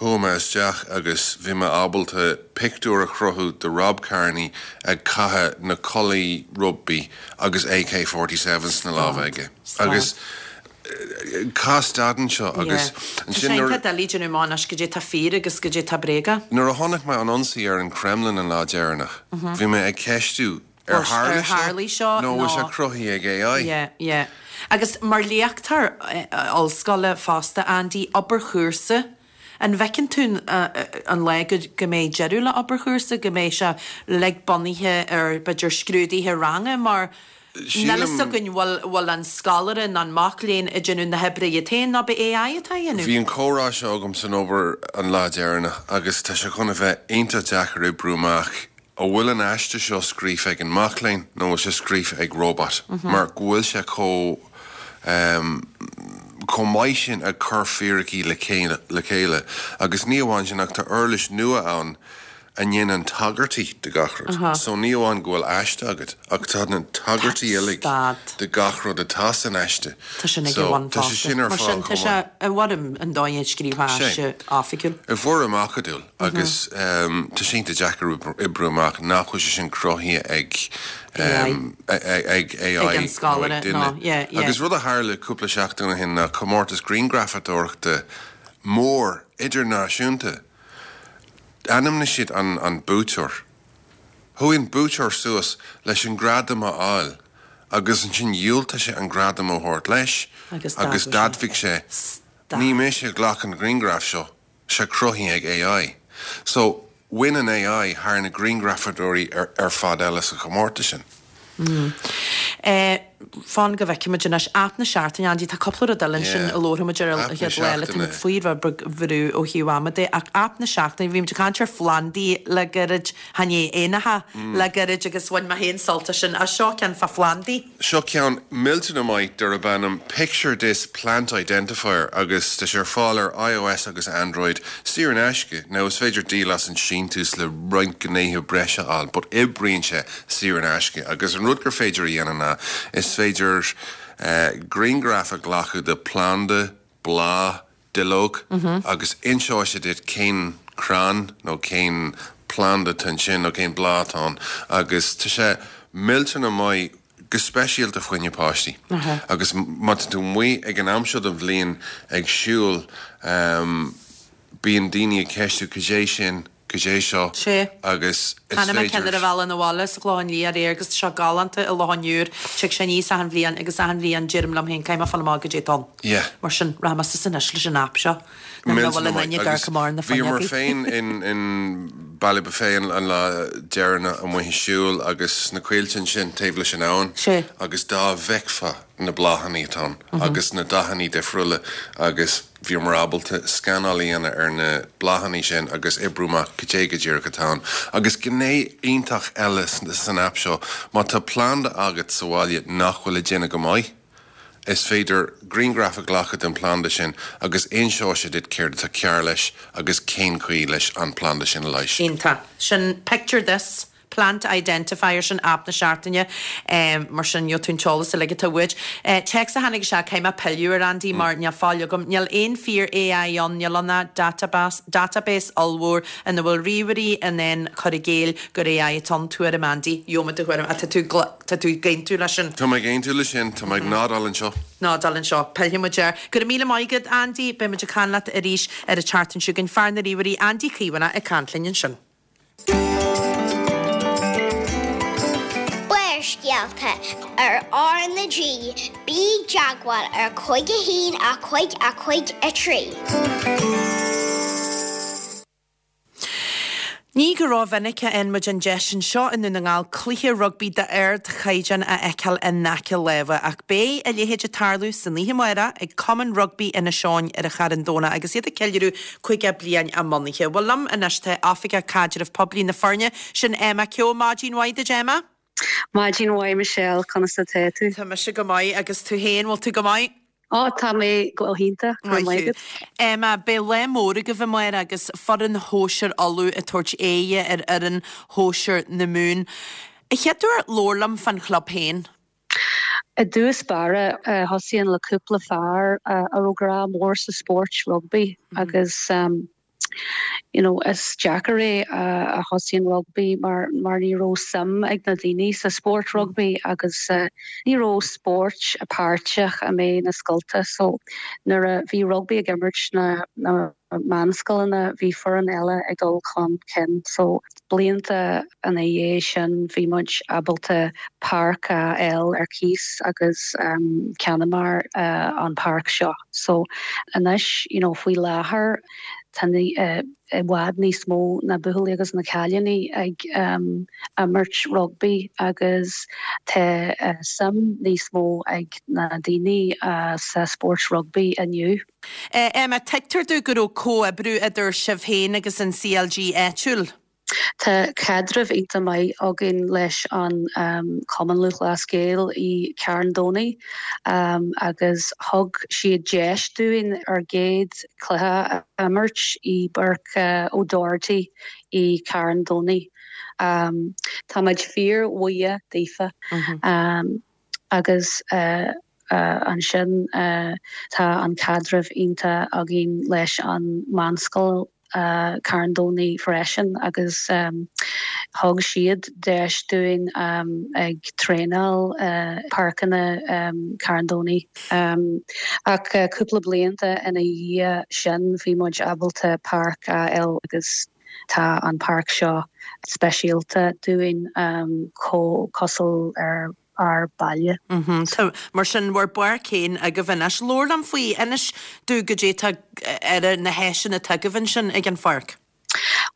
Chuaigh mé isteach agus bhí mé ábalta pictiúr a chruthú de Rob Kearney ag caitheamh na culaí rugby agus AK forty seven sna lámha aige. Stad. Agus cá stadann seo agus Tá ansin sé nuair- tá doiligh déanamh amach anois goidé tá fíor agus goidé tá bréaga. Nuair a chonaic mé an ionsaí ar an Kremlin an lá deireanach, bhí mé ag ceistiú ar Ar tharla tharlaigh seo nó bhfuil sé nó- cruthaithe ag AI. Yeah, yeah. Agus mar léachtóir ollscoile fosta, Andy, obair chúrsa, an bhfeiceann tú an lá go go mbeidh deireadh le obair chúrsa, go mbeidh sé uilig bunaithe ar b'fhéidir scrúduithe ranga mar Sílim- níl fhios againn bhfuil bhfuil an scoláire nó an mac léinn ag déanamh na hoibre iad féin nó be AI atá á dhéanamh. Bhí an comhrá seo agam san obair an lá deireanach agus tá sé chun a bheith iontach deacair oibriú amach an bhfuil an aiste seo scríofa ag an mac léinn nó bhfuil sé scríofa ag robot, mar go bhfuil sé chomh um, chomh maith sin ag cur fíricí le chéile le chéile agus ní amháin sin ach tá uirlis nua ann a ndéanann tagairtí de gach rud. So ní amháin go bhfuil aiste agat ach tá na tagairtí uilig Stad. de gach rud atá san aiste. Tá sin ag So, bhain tá sé sin ar Mar fáil sin tá chomh sé maith. i bhfoirm an dóigh scríofa Sé. aiste oifigiúil. I bhfoirm acadúil agus um, tá sé iontach deacair oibriú amach nach bhfuil sé sin cruthaithe ag um, ag ag AI Ag an scoláire, nó ag duine. no, yeah, yeah. Agus rud a tharla cúpla seachtain ó shin ná comórtas grianghrafadóireachta mór idirnáisiúnta. Ainmnigh siad an, an buaiteoir. Chuaigh an buaiteoir suas leis an gradam a fháil, agus ansin dhiúltaigh sé an gradam a thabhairt leis Agus agus d'admhaigh d'admhaigh sé Stad. ní mise a ghlac an grianghraf seo. sé cruthaithe ag AI. So bhain an AI thar na grianghrafadóirí ar, ar fad eile sa chomórtas sin. Mm. Eh, fan go bhfeicfimid anois aip na seachtaine Andy tá cúpla rud eile ansin a labharfaimid ar an chéad lá eile tá faoi bhrú ó thaobh ama de ach aip na seachtaine bhí muid ag caint ar phlandaí le gairid chan é éanacha le gairid agus bhain mé féin sult as sin ach seo ceann fá phlandaí. Seo ceann millteanach maith darb ainm Picture This Plant Identifier agus tá sé ar fáil ar iOS agus Android saor in aisce. Now is féidir díol as an síntiús le roinnt gnéithe breise a fháil, but oibríonn sé saor in aisce agus an rud gur féidir a dhéanamh ná is féidir uh, grianghraf a ghlacadh de planda, bláth, duilleog mm -hmm. agus inseoidh sé duit cén crann nó cén planda atá sin nó cén bláth atá ann agus tá sé millteanach maith go speisialta fá choinne páistí. Uh -huh. Agus má tá tú amuigh ag an am seo den bhliain ag siúl um, bíonn daoine ag ceistiú cad é sin cad é seo Sé. agus is Chonaic mé féidir ceann ar an bhealach abhaile sa Chlochán Liath aréir agus tá sé galánta i Loch an Iúir tig sé aníos achan bhliain agus achan bhliain deirim liom féin caithfidh mé fáil amach cad é atá ann. Yeah. Mar sin rachaidh mé suas anois leis an aip seo. Nach bhfuil an duine gar go mar na Bhíomar fuinneogaí. féin in in Ballybofey an an lá deireanach amuigh ag siúl agus na coillte sin taobh leis an abhainn Sé. agus dá bhfeicfeá na bláthanna atá ann Mhm. agus na dathanna difriúla agus bhíomar ábalta scanáil a dhéanamh ar na bláthanna sin agus oibriú amach cad é go díreach atá ann. Agus gné iontach eile san aip seo, má tá planda agat sa bhaile nach bhfuil ag déanamh go maith, is féidir grianghraf a ghlacadh den planda sin agus inseoidh sé duit céard atá cearr leis agus cén chaoi leis an planda sin a leigheas. Iontach. Sin picture this. Plant identifier sin aip na seachtaine um, mar sin gheobhaidh tú an t-eolas uilig atá uait. Uh, Text a tháinig isteach caithfidh mé pilleadh air Andy mar níl fáil agam níl aon fíor AI ann níl ann ach database, database ollmhór ina bhfuil ríomhairí in ann cur i gcéill gur AI atá ann tuairim Andy Gheobhaidh do thuairim tá tú tá tú ag aontú leis sin. Tá mé ag aontú leis sin tá mé ag nodáil anseo. Nodáil anseo pillfidh muid air. Go raibh míle maith agat Andy, beidh muid ag caint leat arís ar an tseachtain seo chugainn fear na ríomhairí Andy Caomhánach ag caint linn ansin. Barrscéalta ar R na G, bí i dteagmháil ar cúig a haon a cúig a cúig a trí. Ní go rómhinic a fhaigheann muid an deis anseo i nDún na nGall cluiche rugbaí d'ardchaighdeán a fheiceáil in aice láimhe, ach beidh a leithéid ag tarlú san oíche amárach ag Cumann Rugbaí Inis Eoghain ar an Charn Domhnach agus iad ag ceiliúradh caoga bliain a mbunaithe. Bhuel liom anois tá Oifigeach Caidreamh Poiblí na foirne sin Emma Keogh Maidin mhaith duit Emma? Maidin mhaith Michelle conas atá tú? Tá mise go maith agus tú féin bhfuil tú go maith? Ó tá mé go hiontach go maith agat. Emma beidh lá mór agaibh amárach agus foireann shóisir Uladh ag tabhairt aghaidh ar fhoireann shóisir na Mumhan. An chéad uair labhair liom fán chlub féin. I dtús báire thosaíonn le cúpla fear a raibh grá mór sa spórt rugbaí agus um, you know, is deacair é a thosaíonn rugbaí mar mar ní raibh suim ag na daoine sa spórt rugbaí agus uh, ní raibh spórt páirteach a mé na scolta so nuair a bhí rugbaí ag imirt na, na meánscoileanna bhí foireann eile ag dul chun cinn so blianta ina dhiaidh sin bhí muid ábalta páirc a fháil ar cíos agus um, cheannaíomar uh, an páirc seo so anois you know, faoi láthair tá uh, i bhfad níos mó na buachaillí agus na cailíní ag um, imirt rugbaí agus tá uh, suim níos mó ag na daoine uh, sa spórt rugbaí inniu. Uh, Emma tuigtear domh go raibh comhoibriú idir sibh féin agus an CLG áitiúil. Tá caidreamh iontach maith againn leis an um, Cumann Lúthchleas Gael i Carn Domhnach um, agus thug siad deis dúinn ár gcéad cluiche a imirt i bPáirc uh, O'Doherty i Carn Domhnach. Um, Tá muid fíorbhuíoch daofa mm -hmm. um, agus uh, uh, ansin uh, tá an caidreamh iontach againn leis an meánscoil uh, Carn Domhnach freisin agus um, thug siad deis dúinn um, ag traenáil uh, páirceanna um, Carn Domhnach. Um, ach uh, cúpla blianta ina dhiaidh sin bhí muid ábalta páirc a fháil agus tá an páirc seo speisialta dúinn um, có cosúil ar ár baile. Tá mar sin bhur bpáirc féin agaibh anois. Labhair liom faoi, inis domh goidé tá ar na háiseanna atá agaibh ansin ag an pháirc.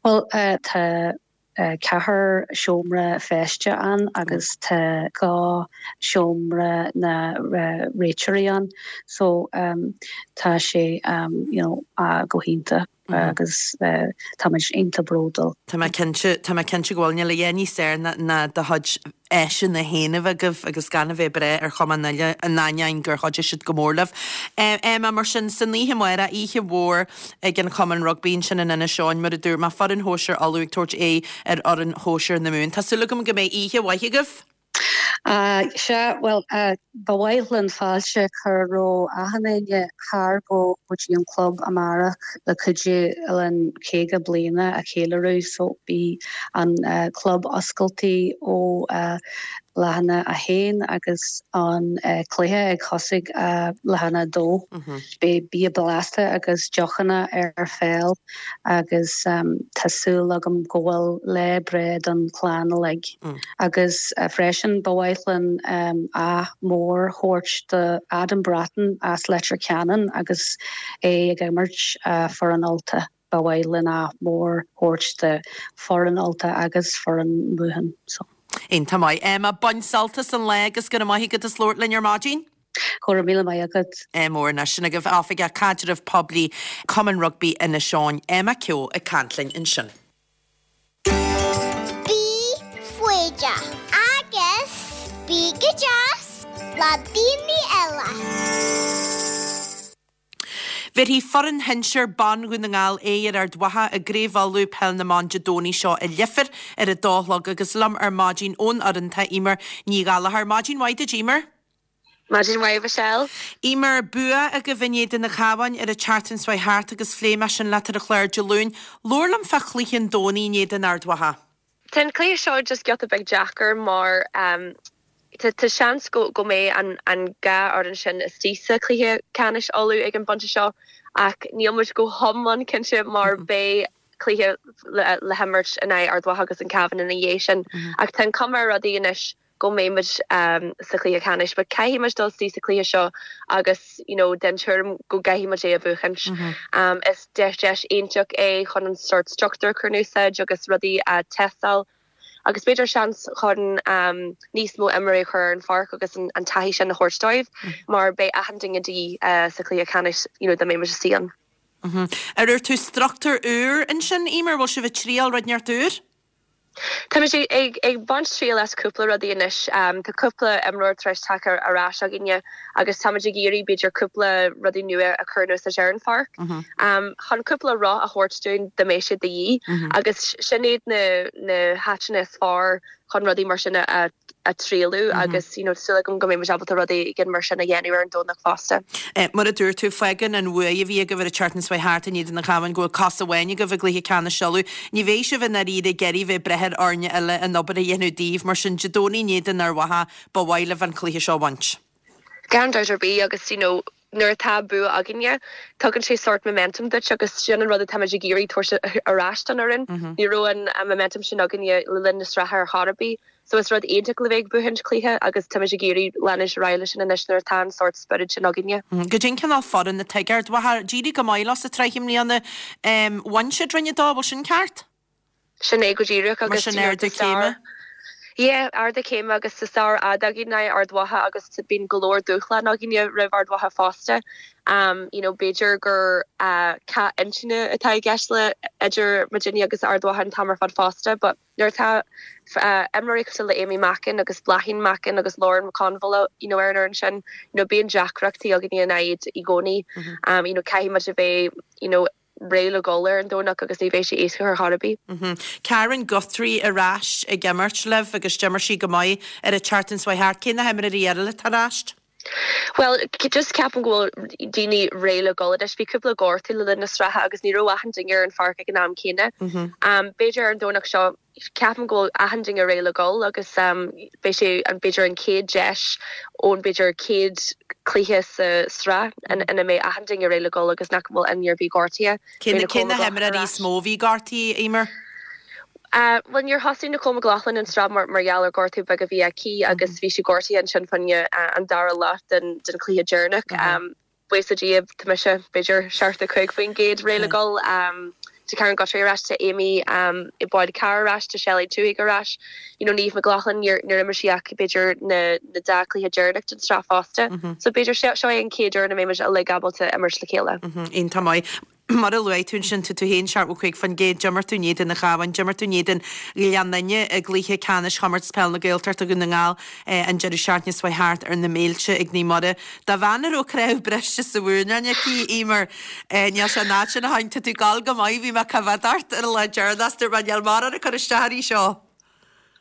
Bhuel tá ceathair seomra feiste ann agus tá dhá seomra na réiteoirí ann so tá sé you know go hiontach agus táimid iontach bródúil. Tá mé cinnte, tá mé cinnte go bhfuil. Níl a dhath níos fearr ná do chuid áiseanna féin a bheith agaibh agus gan a bheith ag brath ar chumann eile in ainneoin gur chuidigh siad go mór libh. Emma, mar sin, san oíche amárach, oíche mhór ag an Chumann Rugbaí ansin in Inis Eoghain, mar a dúirt mé, foireann shóisir Uladh ag tabhairt aghaidh ar fhoireann shóisir na Mumhan. Tá súil agam go mbeidh oíche mhaith agaibh. Sea, bhuel, ba mhaith linn fáilte a chur roimh achan éinne thar go dtí an club amárach le cuidiú linn caoga bliana a cheiliúradh so beidh an club oscailte ó leath i ndiaidh a haon agus an cluiche ag thosaigh leath i ndiaidh a dó. Beidh bia blasta agus deochanna ar fáil agus tá súil agam go bhfuil lá breá don chlann uilig. Agus freisin ba mhaith linn ádh mór a thabhairt do Adam Bratton as Leitir Ceanainn agus é ag imirt foireann Ulta. Ba mhaith linn ádh mór a thabhairt do foireann Ulta agus foireann Mumhan. So. Iontach maith. Emma, bain sult as an lá agus go raibh maith agat as labhairt linn ar maidin. Go raibh míle maith agat. Mór anois sin agaibh Oifigeach Caidreamh Poiblí Cumann Rugbaí Inis Eoghain, Emma Keogh ag caint linn ansin. Bí foighdeach agus bí go deas le daoine eile. Bhéarfaidh foireann shinsir ban Dhún na nGall aghaidh ar Ard Mhacha i gCraobh Uladh Peil na mBan Dé Domhnaigh seo i Leifear ar a dó a chlog agus liom ar maidin ón fhoireann tá Eimear Ní Ghallchóir. Maidin mhaith duit Eimear. Maidin mhaith Michelle. Eimear, bua agaibh in éadan an Chabháin ar an tseachtain seo thart agus phléigh mé sin leat ar an chlár Dé Luain. Labhair liom fá chluiche an Domhnaigh in éadan Ard Mhacha. Tá an cluiche seo just giota beag deacair mar um, tá seans go go mbeidh an an dhá fhoireann sin istigh sa chluiche ceannais Uladh ag an bpointe seo ach níl muid go hiomlán cinnte mar beidh cluiche le, le himirt in aghaidh Ard Mhacha agus an Cabhán ina dhiaidh sin ach tá an cuma ar rudaí anois go mbeidh muid um, sa chluiche ceannais, but caithfidh muid dul sa chluiche seo agus you know, den tuairim go gcaithfidh muid é a bhuachaint. Mm -hmm. um, is deis deis iontach é chun an sort struchtúr chun úsáid agus rudaí a tástáil agus b'fhéidir seans chun um, níos mó imreoirí chur ar an pháirc agus an, an taithí sin a thabhairt dóibh mm. mar beidh achan duine de uh, sa chluiche ceannais you know, dá mbeidh muid istigh ann. Mm -hmm. Ar ar tú struchtúr úr ansin Eimear bhfuil sibh ag triail rud inteacht úr? Tá sé ag ag baint triail as cúpla rudaí anois um, tá cúpla imreoir tar éis teacht ar ais againne agus táimid ag iarraidh b'fhéidir cúpla rudaí nua a chur sa ar an pháirc. Mm -hmm. um, chun cúpla roth a thabhairt dúinn dá mbeidh sé de dhíth mm -hmm. agus sin iad na na háiteanna is fearr chun rudaí mar sin a a trialú mm -hmm. agus you know, súil agam go mbeidh ábalta rudaí gin mar sin a dhéanamh ar an Domhnach fosta. Eh, mar a dúirt tú fágann an bua a bhí agaibh ar an tseachtain seo thart in éadan an Chabháin go bhfuil cos amháin agaibh i gcluiche ceannais Uladh. Ní bheidh sibh in airíre geirí bheith breith ar fhoirne eile an obair a dhéanamh daoibh mar sin Dé Domhnaigh in éadan Ard Mhacha ba mhaith libh an cluiche seo a bhaint. Gan dabht ar bith agus you know, nuair atá bua againne tugann sé sort momentum duit agus sin an rud atáimid ag iarraidh tabhairt ar ais don fhoireann. Mm -hmm. Ní raibh an momentum sin againne le linn na sraithe ar chor ar bith. So is rud iontach le bheith ag buachaint cluiche agus táimid ag iarraidh leanúint ar aghaidh leis sin anois nuair atá an sort spiorad sin againne. Mm, Goidé an cineál foireann atá ag Ard Mhacha d'éirigh go maith leo sa tsraith i mbliana bhain siad roinn a dó bhfuil sin ceart? Sin é go díreach agus sin ardú céime. Yeah, ardú céime agus sa stair fhada againn Ard Mhacha agus bíonn go leor dúshlán againne roimh Ard Mhacha fosta. Um, you know, b'fhéidir gur uh, cath intinne atá i gceist le idir muidinne agus Ard Mhacha an t-am ar fad fosta, but nuair atá uh, imreoirí cosúil le Amy Mackin agus Bláithín Mackin agus Lauren McConville you know, ar an sin you know, bíonn deacrachtaí againne in aghaidh i gcónaí. Mm -hmm. um, you know, caithfidh muid a bheith you know, réidh le dul ar an Domhnach agus ní bheidh sé éasca ar chor ar bith. Mm -hmm. Karen Guthrie ar ais ag imirt libh agus d'imir sí go maith ar an tseachtain seo thart cé na himreoirí eile tar éis? Well just ceapaim go bhfuil daoine réidh le dul anois bhí cúpla gortú le linn na sraithe agus ní raibh achan duine ar an pháirc ag an am céanna. Mm -hmm. um, B'fhéidir ar an Domhnach seo ceapaim go bhfuil achan duine réidh le dul agus um, beidh sé an b'fhéidir an chéad deis ón b'fhéidir céad cluiche sa sraith ina mbeidh achan duine réidh le dul agus nach bhfuil aon duine gortaithe. Cé na himreoirí is mó a bhí gortaithe Eimear? Uh, well níor thosaigh Nicole McLaughlin an tsraith mar mar gheall ar gortú beag a bhí aici agus bhí sí gortaithe ansin fá choinne uh, an dara leath den den chluiche deireanach. Um, Buíochas le Dia tá mise b'fhéidir seachtó cúig faoin gcéad réidh le dul um, Tá Karen Guthrie ar ais tá Amy um, i Boyd Carr ar ais tá Shelley Tuig ar ais you know, Niamh McLaughlin níor níor imir sí ach b'fhéidir na na dá chluiche deireanach den tsraith fosta. Mm -hmm. So b'fhéidir seo é an chéad uair a mbeimid uilig ábalta imirt le chéile. Iontach maith. Mar a luaigh tú ansin tú tú féin seachtó cúig faoin gcéad d'imir tú in éadan an Chabháin, d'imir tú in éadan Ghleann Fhinne i gcluiche ceannais chomórtas peil na Gaeltachta Dhún na nGall an deireadh seachtaine seo thart ar na Méilte ag Naomh Muire. Do bhean a raibh cnámh briste sa mhúrn aici Eimear níl sé an áit sin a tháinig tú tú gal go maith bhí mé coimhéad ort ar an lá deireanach dúirt mé níl mórán ag cur isteach uirthi seo.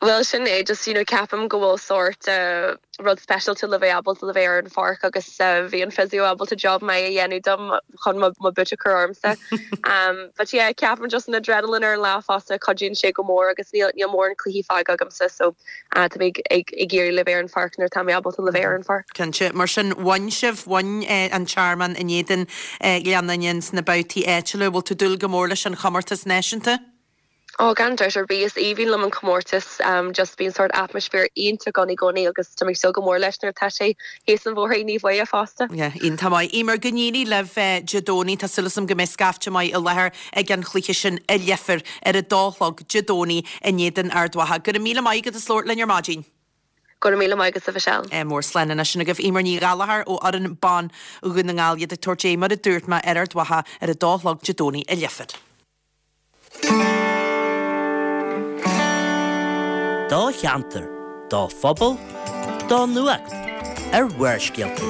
Well sin é just you know, ceapaim go bhfuil sort uh, rud speisialta le bheith ábalta le bheith ar an pháirc agus uh, bhí an physio ábalta job maith a dhéanamh dom chun mo boot a chur ormsa. um, but yeah, ceapaim just an adrenaline ar an lá fosta cuidíonn sé go mór agus níl níl mórán cluichí fágtha agamsa so uh, tá mé ag ag iarraidh le bheith ar an pháirc nuair tá mé ábalta le bheith ar an pháirc. Cinnte mar sin bhain sibh bhain eh, an Tearmann in éadan eh, Ghleann Fhinne sna babhtaí áitiúla bhfuil tú ag dúil go mór leis an chomórtas náisiúnta? Ó gan dabht ar bith is aoibhinn liom an comórtas um, just bíonn sort atmaisféar iontach ann i gcónaí agus tá mé ag súil go mór leis nuair atá sé théis an bhóthair ní bhuiie fosta. Yeah, iontach maith. Eimear go n-éirí libh Dé Domhnaigh tá súil agam go mbeidh scaifte maith i láthair ag an chluiche sin i Leifear ar a dó a chlog Dé Domhnaigh in éadan Ard Mhacha. Go raibh míle maith agat as labhairt linn ar maidin. Go raibh míle maith agat a Mhichelle. Eh, mór slán anois sin agaibh Eimear Ní Ghallchóir ó fhoireann ban Dhún na nGall iad ag tabhairt aghaidh mar a dúirt mé ar Ard Mhacha ar a dó a chlog Dé Domhnaigh i Leifear. Do cheantar, do phobal, do nuacht ar Bharrscéalta.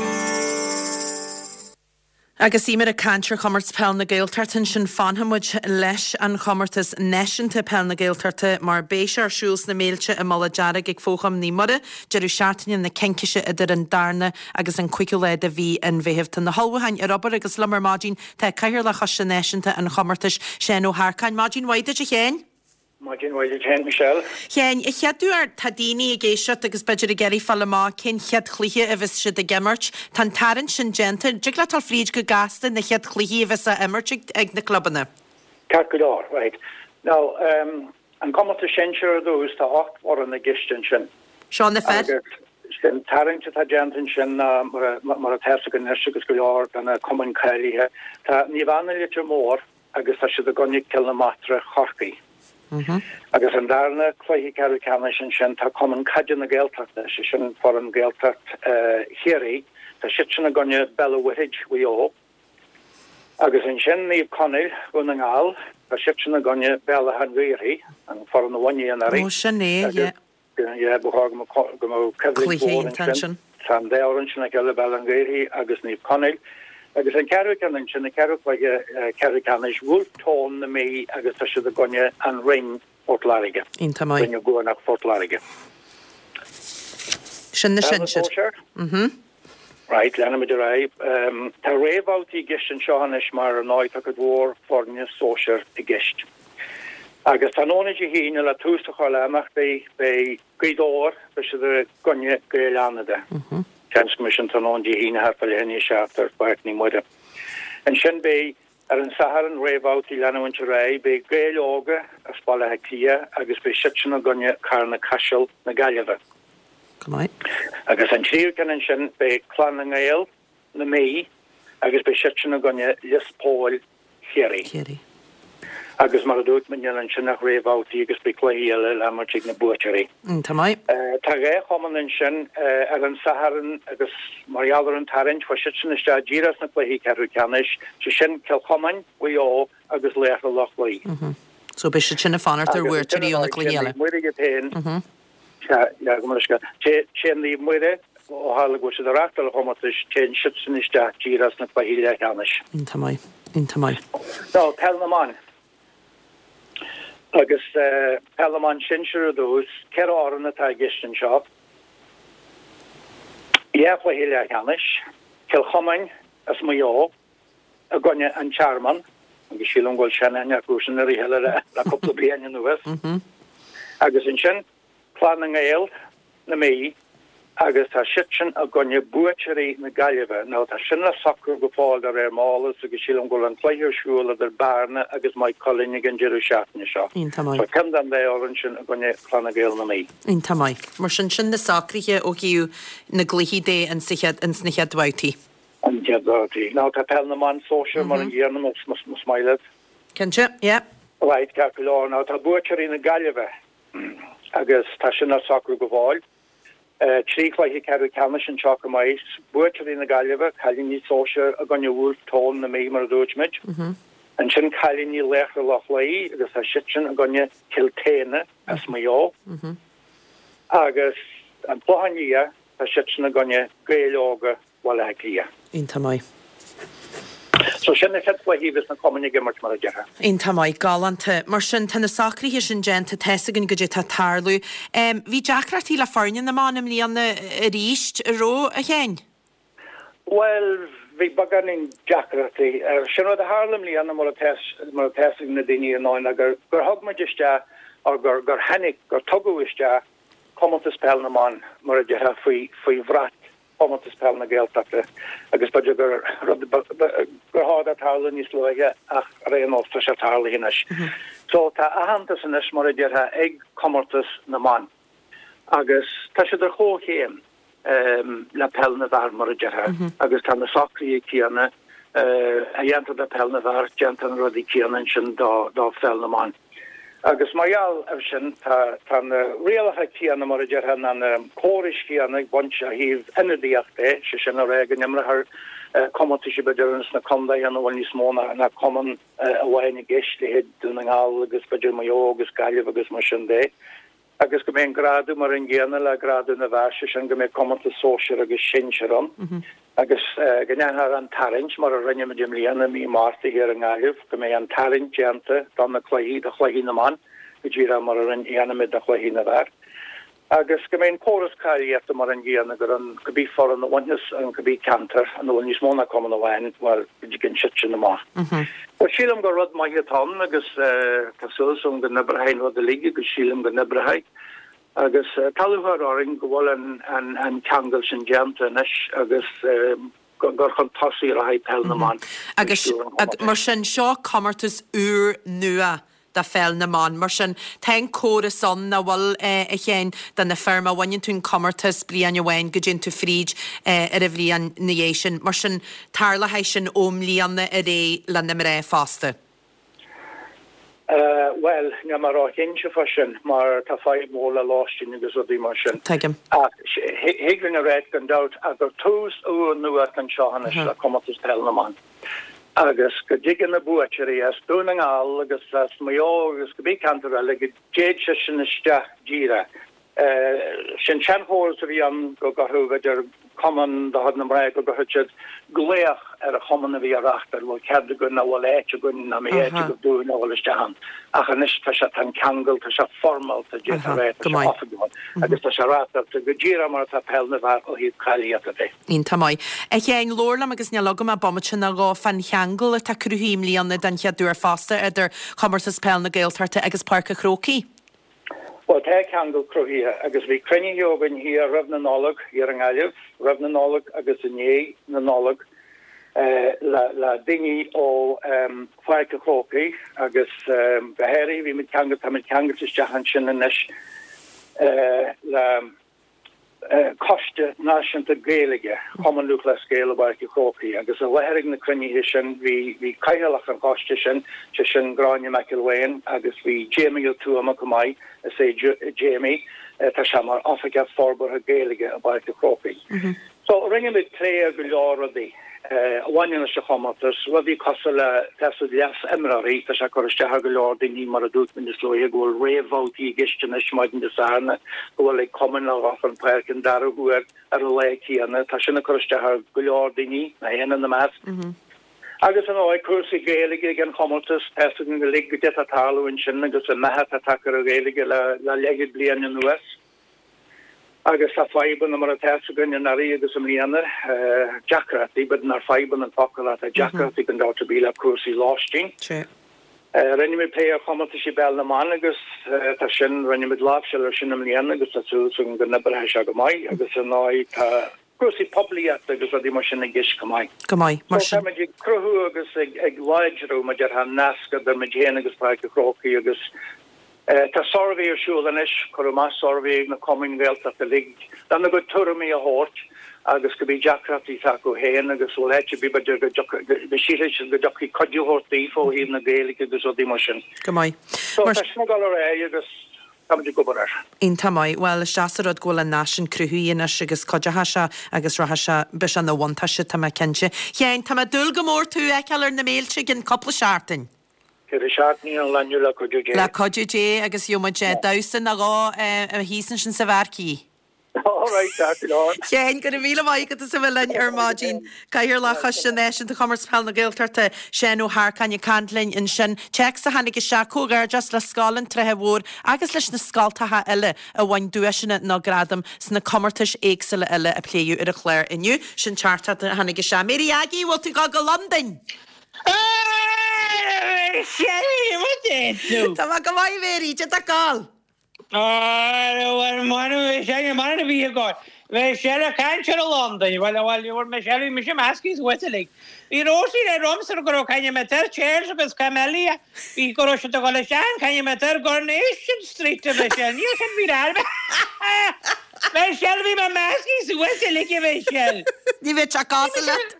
Agus Eimear ag caint ar chomórtas peil na Gaeltachta sin fanfaimid leis an chomórtas náisiúnta peil na Gaeltachta mar beidh sé ar siúl sna Méilte i Mullach Dearg ag Fócham Naomh Muire, deireadh seachtaine na Cincise idir an darna agus an cúigiú lá de mhí an Mheithimh. Tá na hullmhúcháin ar obair agus liom ar maidin tá cathaoirleach Choiste Náisiúnta an chomórtais Seán Ó hEarcáin. Maidin mhaith duit a Sheáin? Maidin mhaith duit féin Michelle. Sheáin, a chéaduair tá daoine ag éisteacht agus b'fhéidir ag iarraidh fáil amach cén chéad chluiche a bheas siad ag imirt. Tá an tarraingt sin déanta, dtig leat dul fríd go gasta na chéad chluichí a bheas á imirt ag, ag na clubanna. Ceart go leor, right. Now, um, an comórtas sinsir ar dtús tá ocht bhfoireann i gceist ansin. Seo na fir? Sin tarraingt atá déanta ansin mar mar atá go agus go leor de na cumainn cáilithe. Tá Naomh Anna Leitir Móir agus tá siad i gcoinne Cill na Martra Chorcaí. Agus an darna cluiche ceathrú ceannais ansin tá Cumann Caide na Gaeltachta sé sin foireann Gaeltacht Chiarraí, tá siad sin i gcoinne Béal an Mhuirthead Mhaigh Eo. Agus ansin Naomh Conaill Dhún na nGall, tá siad sin i gcoinne Béal Átha an Ghaorthaidh, an foireann a bhain anuraidh. Ó sin é, yeah. Yeah, ba chóir go mbeadh coimhlint Cluiche mhór iontach ansin. ansin. Tá an dá fhoireann sin le chéile Béal Átha an Ghaorthaidh agus Naomh Conaill. Agus an ceathrú ceann ansin, an ceathrú cluiche ceathrú ceannais, Wolfe Tone na Mí agus tá siad i gcoinne an Rinn Port Láirge. Iontach maith. Rinn Ó gCuanach Phort Láirge. Sin na Peil na sinsir. sóisear? Mhm. Right, leanfaimid ar aghaidh. Um, tá réamhbhabhtaí i gceist anseo anois mar ar ndóigh tá cuid mhór foirne sóisir i gceist. Agus tráthnóna Dé hAoine le tús a chur le himeachtaí beidh Gaoth Dobhair, beidh siad i gcoinne Gaeil Fhánada. Seans go mbeidh sin tráthnóna Dé hAoine thart fá leath i ndiaidh a seacht ar Pháirc Naomh Muire. Ansin beidh ar an Satharn réamhbhabhtaí leanúint ar aghaidh, beidh Gaeil Óga as Baile Átha Cliath agus beidh siad sin i gcoinne Carna Caiseal na Gaillimhe. Go maith. Agus an tríú ceann ansin beidh Clann na nGael na Mí agus beidh siad sin i gcoinne Lios Póil Chiarraí. Chiarraí. Agus mar a dúirt mé níl ansin ach réamhbhabhtaí agus beidh cluichí eile le himirt ag na buaiteoirí. Iontach maith. Tá dhá chumann ansin ar an Satharn agus mar gheall ar an tarraingt chuaigh siad sin isteach díreach sna cluichí ceathrú ceannais, sé sin Cill Chomáin, Mhaigh Eo agus Laochra Loch Lao. So beidh siad sin ag fanacht ar Agus bhuaiteoirí ó na cluichí eile. Naomh Muire iad féin. Sea, yeah, go mbeidh sé. Téann Naomh Muire, ó tharla go bhfuil siad ag reáchtáil an chomórtais, téann siad sin isteach díreach sna cluichí leathcheannais. Iontach maith. Iontach maith. Now, peil na mban. Agus peil na mban sinsir ar dtús, ceithre fhoireann atá i gceist anseo. Dhá chluiche leathcheannais, Cill Chomáin as Maigh Eo i gcoinne an Tearmann, agus sílim go bhfuil seanaithne acu sin ar a chéile le le cúpla bliain anuas. Agus ansin Clann na nGael, na Mí, agus tá siadsan i gcoinne buaiteoirí na Gaillimhe. Now tá sin le socrú go fóill de réir m'eolas agus sílim go bhfuil an cluiche ar siúl idir Bearna agus Maigh Cuilinn ag an deireadh seachtaine seo. Iontach maith. So ceann den dá fhoireann sin i gcoinne Clanna Gael na Mí. Iontach maith. Mar sin, sin na socruithe ó thaobh na gcluichí de ins na chéad bhabhtaí. An chéad bhabhtaí. Now tá peil na mban sóisear mar an gcéanna más maith leat. Cinnte, yeah. Right, ceart go leor. Now tá buaiteoirí na Gaillimhe agus tá sin le socrú go fóill. Trí chluiche ceathrú ceannais anseo chomh maith, buaiteoirí na Gaillimhe, cailíní sóisear i gcoinne Wolfe Tone na Mí mar a dúirt muid. Ansin cailíní Laochra Loch Lao agus tá siadsan i gcoinne Cill tSéadhna as Maigh Eo. Agus an Clochán Liath, tá siadsan i gcoinne Gaeil Óga Bhaile Átha Cliath. Iontach maith. So sin na chéad chluichí a bheas na cumainn ag imirt mar a déarfá. Iontach maith, galánta. Mar sin, tá na socruithe sin déanta, tá's againn goidé tá ag tarlú. Bhí deacrachtaí le foirne na mban i mbliana arís, an raibh, a Sheáin? Bhuel, bhí beagáinín deacrachtaí. Sin rud a tharla i mbliana mar atá mar atá fhios ag na daoine ar ndóigh ná gur gur thug muid isteach or gur gur tháinig, gur tugadh isteach Comórtas Peil na mBan mar a déarfá faoi faoi bhrat Chomórtas Peil na Gaeltachta agus b'fhéidir gur rud gur chóir dó tarlú níos luaithe ach ar aon nós tá sé tarlaithe anois. So tá aitheantas anois mar a déarfá ag Comórtas na mBan agus tá siad ar chomhchéim le Peil na bhFear mar a déarfá agus tá na socruithe céanna a dhéantar do Peil na bhFear déantar na rudaí céanna ansin do do Pheil na mBan. Agus mar gheall air sin, tá tá na rialacha céanna, mar a déarfá, ná na córais chéanna ag baint ó thaobh ionadaíocht de, sé sin a rá go n-imreofar comórtaisí b'fhéidir ins na contaetha ina bhfuil níos mó ná ná cumann amháin i gceist, leithéid Dún na nGall agus b'fhéidir Maigh Eo agus Gaillimh agus mar sin de. Agus go mbeidh an grádú mar an gcéanna le grádú na bhfear, sé sin go mbeidh comórtas sóisir agus sinsir ann. Agus go ndéanfar an tarraingt, mar a rinne muid i mbliana i mí Márta thiar i nGaillimh, go mbeidh an tarraingt déanta do na cluichí, do chluichí na mban, go díreach mar a dhéanaimid do chluichí na bhfear. Agus go mbeidh an córas cáilíochta mar an gcéanna, gur an cibé foireann a bhainfeas an cibé ceantar ina bhfuil níos mó ná cumann amháin, bhuel, go dtigeann siadsan amach. Bhuel, sílim gur rud maith atá ann agus tá súil agam go n-oibreoidh an rud uilig agus sílim go n-oibreoidh. Agus tá lúcháir orainn go bhfuil an ceangal sin déanta anois agus gur chun tosaigh a rachaidh Peil na mBan faoi Agus stiúir an chomórtais. mar sin, seo comórtas úr nua do Pheil na mBan. Mar sin, tá an córas ann nach bhfuil, a Sheáin, do na fir, má bhaineann tú an comórtas bliain amháin go dtéann tú fríd ar an bhliain na dhiaidh sin. Mar sin, tarlóidh sin ó mbliana ar aghaidh le na mná fosta. Bhuel, níl mé ró-chinnte fá sin mar tá fadhb mhór le lóistín agus rudaí mar sin. Tuigim. Ach thig linn a ráit gan dabht ach gur tús úr nua atá anseo anois le Comórtas Peil na mBan agus go dtigeann na buaiteoirí as Dún na nGall agus as Maigh Eo agus cibé ceantar eile go dtéid siadsan isteach díreach. Sin seanchóras a bhí ann go gcuirfeadh, b'fhéidir, cumann de chuid na mná, go gcuirfeadh siad glaoch ar an chumann a bhí á reáchtáil, bhfuil cead againn, nó bhfuil áit againn, nó mbeidh áit agaibh dúinn a dhul isteach ann. Ach anois tá sé, tá an ceangal, tá sé foirmeálta, d'fhéadfá a rá, tá sé oifigiúil agus tá sé reáchtáilte go díreach mar atá peil na bhfear ó thaobh cáilíochta de. Iontach maith. A Sheáin, labhair liom agus níl agam ach bomaite nó dhó fán cheangal atá cruthaithe i mbliana den chéad uair fosta idir Chomórtas Peil na Gaeltachta agus Páirc an Chrócaigh. Bhuel, tá ceangal cruthaithe agus bhí cruinnithe againn thiar roimh na Nollag, thiar i nGaillimh, roimh na Nollag agus i ndiaidh na Nollag le le daoine ó Pháirc an Chrócaigh agus go háirithe bhí muid ceangailte, tá muid ceangailte isteach ansin anois le Coiste Náisiúnta Gaeilge Chumann Lúthchleas Gael i bPáirc an Chrócaigh agus i láthair ag na cruinnithe sin bhí bhí Cathaoirleach an choiste sin, sé sin Gráinne McElwain agus bhí Jamie Ó Tuama chomh maith, is é Jamie, tá sé mar Oifigeach Forbartha Gaeilge i bPáirc an Chrócaigh. So rinne muid plé ar go leor rudaí. a bhaineann leis an chomórtas, rudaí cosúil le taifead leas-imreoirí, tá sé ag cur isteach ar go leor daoine, mar a dúirt mé níos luaithe, go bhfuil réamhbhabhtaí i gceist anois maidin Dé Sathairn, go bhfuil ag cumainn le dhul chun páirce an dara huair ar an lá céanna, tá sin ag cur isteach ar go leor daoine, mé féin ina measc. Agus ar ndóigh, cúrsaí Gaeilge ag an chomórtas, tá a fhios againn uilig goidé atá ag tarlú ansin agus an meath atá tagtha ar an Ghaeilge le leathchéad bliain anuas. Agus tá fadhbanna mar atá a fhios againn anuraidh agus i mbliana, deacrachtaí, b'fhéidir nár fadhbanna an focal ach tá deacrachtaí gan dabht ar bith le cúrsaí lóistín. Rinne muid plé ar chomórtaisí peil na mban agus tá sin, rinne muid láimhseáil ar sin i mbliana agus tá súil againn go n-oibreoidh sé go maith agus ar ndóigh tá cúrsaí poiblíochta agus rudaí mar sin i gceist chomh maith. Go maith, mar sin. So táimid ag cruthú agus ag láidriú mar a déarfá an nasc idir muid féin agus Páirc an Chrócaigh agus tá suirbhé ar siúl anois, cuireadh amach suirbhé ag na cumainn Ghaeltachta uilig lena gcuid tuairimí a thabhairt agus cibé deacrachtaí atá acu féin agus bhfuil áit ar bith b'fhéidir go dtiocfadh, go sílfidh siad go dtiocfaidh cuidiú a thabhairt daofa ó thaobh na Gaeilge agus rudaí mar sin. Go maith. So tá sin ag dul ar aghaidh agus táimid ag obair air. Iontach maith. Bhuel, is deas an rud go bhfuil an nasc sin cruthaithe anois agus cuideochaidh sé agus rachaidh sé, beidh sé ina bhuntáiste, tá mé cinnte. Sheáin, tá mé ag dúil go mór tú a fheiceáil ar na béilte i gcionn cúpla seachtain. Ceithre seachtainí ón lá inniu le cuidiú Dé. Le cuidiú Dé agus gheobhaidh muid damhsa nó dhó thíos ansin sa mharquee. All right, ceart go leor. Sheáin, go raibh míle maith agat as a bheith linn ar maidin. Cathaoirleach Choiste Náisiúnta Chomórtas Peile na Gaeltachta, Seán Ó hEarcáin ag caint linn ansin. Téacs a tháinig isteach, comhghairdeas le Scoil an Tsratha Mhóir agus leis na scoltacha eile a bhain duaiseanna nó gradaim sna comórtais éagsúla eile a pléadh ar an chlár inniu. Sin teachtaireacht a tháinig isteach. Mary Aggie, bhfuil tú ag dul go Londain? Tá mé go maith, Mary, cad tá ag gabháil? Mar a bhí agat. Bhí sé ag caint ar Londain, bhuel, bhuel, bhuel, Michelle, bhí mise measctha suas uilig. Bhí Róisín ag rá liomsa go raibh caint ar Charles agus Camilla, bhí go raibh siad ag dul isteach caint ar Coronation Street a Michelle, níl sin bhí ar Michelle, bhí mé measctha suas uilig a Michelle. Ní bheadh sé cosúil leat.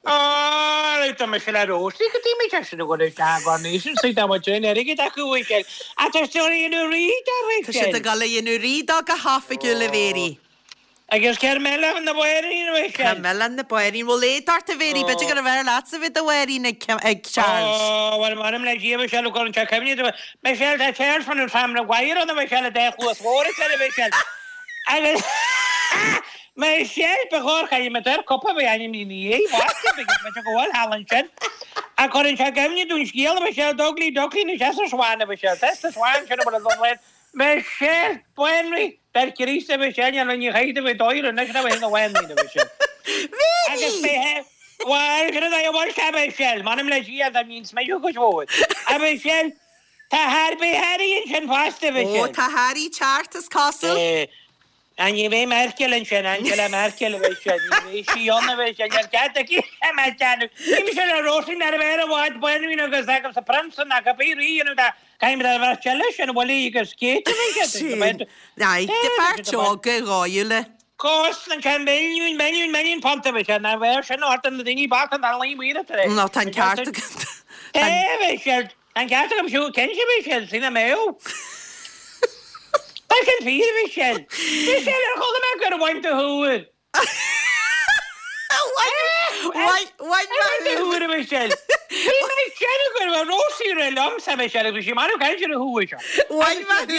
Á, tá mise le Róisín, go dtí mé sin a dhul isteach Coronation Street, tá muid in airgead acu a Michelle. Ach tá siad ag dhéanamh rí dó a Tá siad ag dul a dhéanamh rí dó go hoifigiúil a Mhéirí. Agus Carmela na bhFéirín a Mhichelle. Carmela na bhFéirín. Bhfuil éad ort a Mhéirí, b'fhéidir gurbh fhearr leatsa bheith i do bhanríon ag Charles. Ó, bhuel, m'anam le Dia a Mhichelle, cuireann sé cuimhne dom. Michelle, tá Charles fan an Sam Maguire ann a Mhichelle, a dá chluas mhór is eile a Mhichelle. Agus Michelle, ba chóir caithfidh mé ar cupa a bheith ainmnithe ina dhiaidh, bhfásta, because bheadh sé go bhfuil thall ansin. Ach cuireann sé cuimhne dom scéal a Mhichelle, Dugly Duckling is ea Swan a Mhichelle. Tá sa Swan sin a bhfuil a dhul Michelle, Banríon, Dar Críost a Mhichelle, níl aon chaoi a bheith dóigh anois ná bheith ina bhanríon, a Mhichelle. Agus mé, bhuel, sin é a bhfuil sé, a Mhichelle, m'anam le Dia, dá mbínn smideadh cuid mhór. A Mhichelle, tá Harry, Harry ansin fosta, a Ó, Mhichelle. tá Harry ceart, is cosúil. Á, ní bheidh Merkel ansin, Angela Merkel, a Mhichelle, ní bheidh sí ann, a Mhichelle, níl cead aici a mbeith déanamh. Ní mise le Róisín ná a bheith ar an bhád, banríon agus agus a prionsa ná cibé rí a dhéanamh dá Caithfidh muid a bheith eile sin, Willie agus Kate a bheith Sin. Aye, de bheirt óga dhóighiúla. Cosnaíonn sé milliún, milliún, milliún punt a bheith sé, ná bheadh sin ort na daoine bochta an dara mhíle tar éis. Nó tá an ceart agat. É a bheith sé, tá an ceart agam siúd, cinnte a bheith sé, sin a mbeadh. Tá sin fíor a bheith sé. Bhí sé ar chuala mé gur bhain do shúil. Bhain mé thú a Michelle. Bhí mé ag déanamh go raibh Róisín ag rá liomsa a Michelle agus bhí sí marbh caint ar a shúil seo. Bhain mé thú.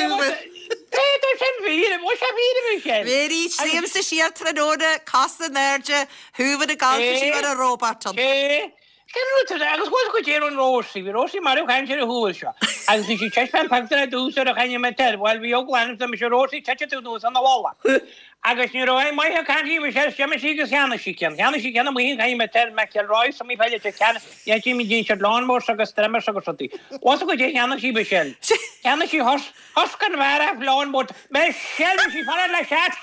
É tá sin fíor, bhfuil sé fíor a Michelle? Mary, sníomsa siar tráthnóna, cosa in airde, húmhan ag gabháil sí mar a robot ann. É. Cén rud é agus bhfuil go dtéann an Róisín, bhí Róisín marbh caint ar a shúil seo. Agus bhí sí taispeáint pictiúr ar dtús ar a chaint mé air, bhuel bhí eagla orm mise Róisín tite tú anuas ina mhullach. Agus ní raibh aon mhaith ag caint bhí sé d'imigh sí agus cheannaigh sí ceann. Cheannaigh sí ceann amuigh an chaint mé air, McElroy, sa mí peile te ceann, ní tí mí dtín siad lawnmowers agus trimmers agus rudaí. Bhfuil go dté cheannaigh sí Michelle. Cheannaigh sí hus, Husqvarna lawnmower, Michelle bhí sí fanacht le seat.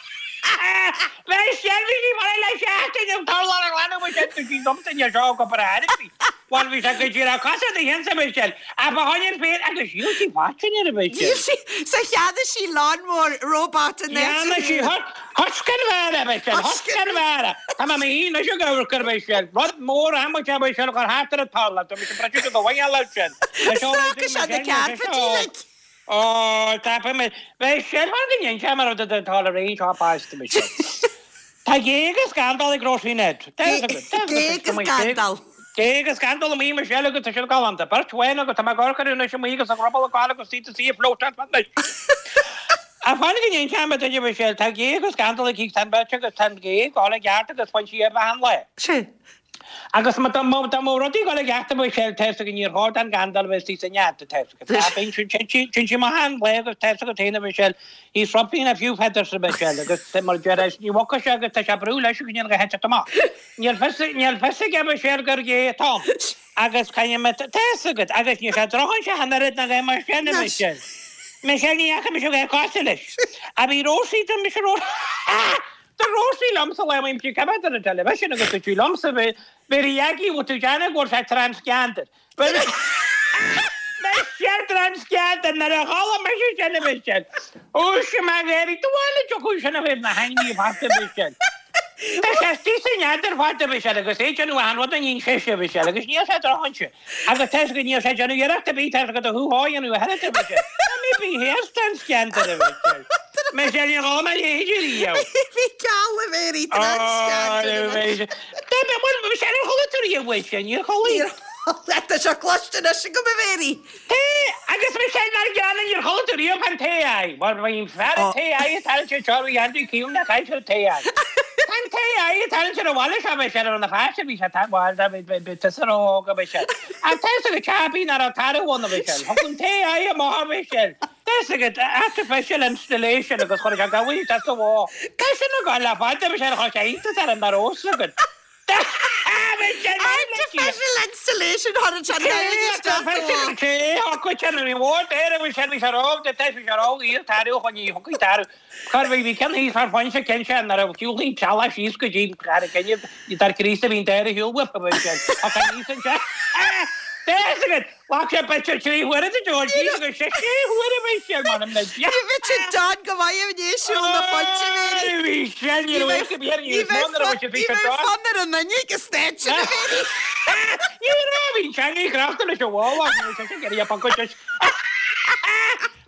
Michelle bhí sí fanacht le seachtain an t-urlár a ghlanadh Michelle bhí sí domsa ní seo go breá bhí. Bhuel bhí sé go díreach cosa do shinse Michelle ach ba choinne féin agus dhíol sí faiteann ar Michelle. Dhíol sí so cheannaigh sí lawnmower robot in Cheannaigh sí Husqvarna Michelle Husqvarna. Tá mé mé anois ag amharc ar Michelle. Rud mór amuigh é Michelle gur thart ar an talamh. Tá mise breite do bhain leat sin. Is dócha sé na cearpaidí like. Ó, tapaidh mé. Beidh sé mar go ndéan sé mar rud atá le roinnt á bpáiste mise. Tá géag is scandal ag Róisín Ned. Géag is scandal. Géag is scandal amuigh Michelle agus tá siad galánta. Beirt bhan agus tá mé ag amharc orthu anois amuigh agus a ruball ag gabháil agus iad is í ag float anois. Ach fan go ndéan sé mar duine Michelle, tá géag is scandal aici tá an bheirt agus tá an géag ag gabháil i gceart agus bhain sí ar mheath an lae. Sea. Agus má tá rudaí ag dul i gceart a Mhichelle, tá fhios agat níor chóir don gcandail a bheith istigh sa nead, tá fhios agat. Tá, bíonn sin, sin, sin sí maith an lae agus tá fhios agat féin a Mhichelle, he's ruffling a few feathers a Mhichelle agus mar a deir, ní bhogfaidh sé agus tá sé ag brú leis go ndéanfaidh a heiteacht amach. Níl fios, níl fios aige a Mhichelle gur gé atá ann. Agus caithfidh mé, tá fhios agat, agus níl sé drochaimsir an oiread ná bheith mar sin, a Michelle. Michelle, ní fhaca mise bheith cosúil leis. A bhí Rósaí do mise Ró Do Rósaí liomsa le mo imtí coimeád ar an television agus tú liomsa bhí bhí Aggie bhfuil tú déanamh go bhfuil sé transgender. Michelle transgender nuair a chuala mise sin a Michelle. Ó sin mé ghéaraí do bhaile tiocfaidh sin a bheith na hainmhí fada Michelle. Tá sé istigh san fheadar fada Michelle agus é déanamh achan rud a níonn sise Michelle agus níl sé drochainse agus tá fhios agat níl sé déanamh iarracht ar bith tá fhios agat a thú a dhéanamh a thuilleadh Michelle. Tá mé bí théas transgender a Michelle. Michelle níor chuala mé a leithéid riamh. Bhí ceal a Mhéirí transgender anois. Tá mé bhuel Michelle ar chuala tú riamh uait sin níor chuala. Tá sé cloiste anois agam a Mhéirí. Té agus Michelle mar gheall níor chuala tú riamh an tae aghaidh. Mar bhí an fear an tae aghaidh ag tarraingt ar seo bhí Andrew Keown ag caint ar tae aghaidh. Tá an tae aghaidh ag tarraingt ar an bhaile seo Michelle ar na pháiste bhí sé tá bhuel tá bhí tusa ró-óg a Michelle. Ach tá fhios agat teabaí nach raibh tarbh ann a Michelle. Thug an tae aghaidh amach a Michelle. Tá fhios agat artificial installation agus chuir sé gabhail isteach sa bhó. Tá sin ag gabháil le fada Michelle chuir sé iontas ar an nach raibh fhios agat. Artificial installation chuir an gabhail isteach sa bhó. Té thug sin bhí mhór d'air bhí sé bhí sé ró de bhí sé ró iar tarbh chun ní thugfaí tarbh. Chuir bhí bhí ceann thíos far foinse ceann sé nuair a shiúlfaí teallach síos go dtí ar an gcinneadh dar Críost a bhíonn deireadh shiúl uaidh a Mhichelle. Ach an níos ansin Tá fhios agat ghlac sé b'fhéidir trí huaire de dul síos agus sé sé huaire a Mhichelle m'anam le Dia. Ní bheidh sé dán go maith i ndiaidh siúl na foinse a Mhéirí. Bhí sé ní raibh fhios go bhí ar Ní níos mó bheidh nuair a bhí sé ní bhí sé bheidh dán. fonn ar an duine ag an staid sin a Mhéirí. Ní raibh bhí sé ní chreachta leis an bhála ní raibh sé sin ag iarraidh a bpocáid leis.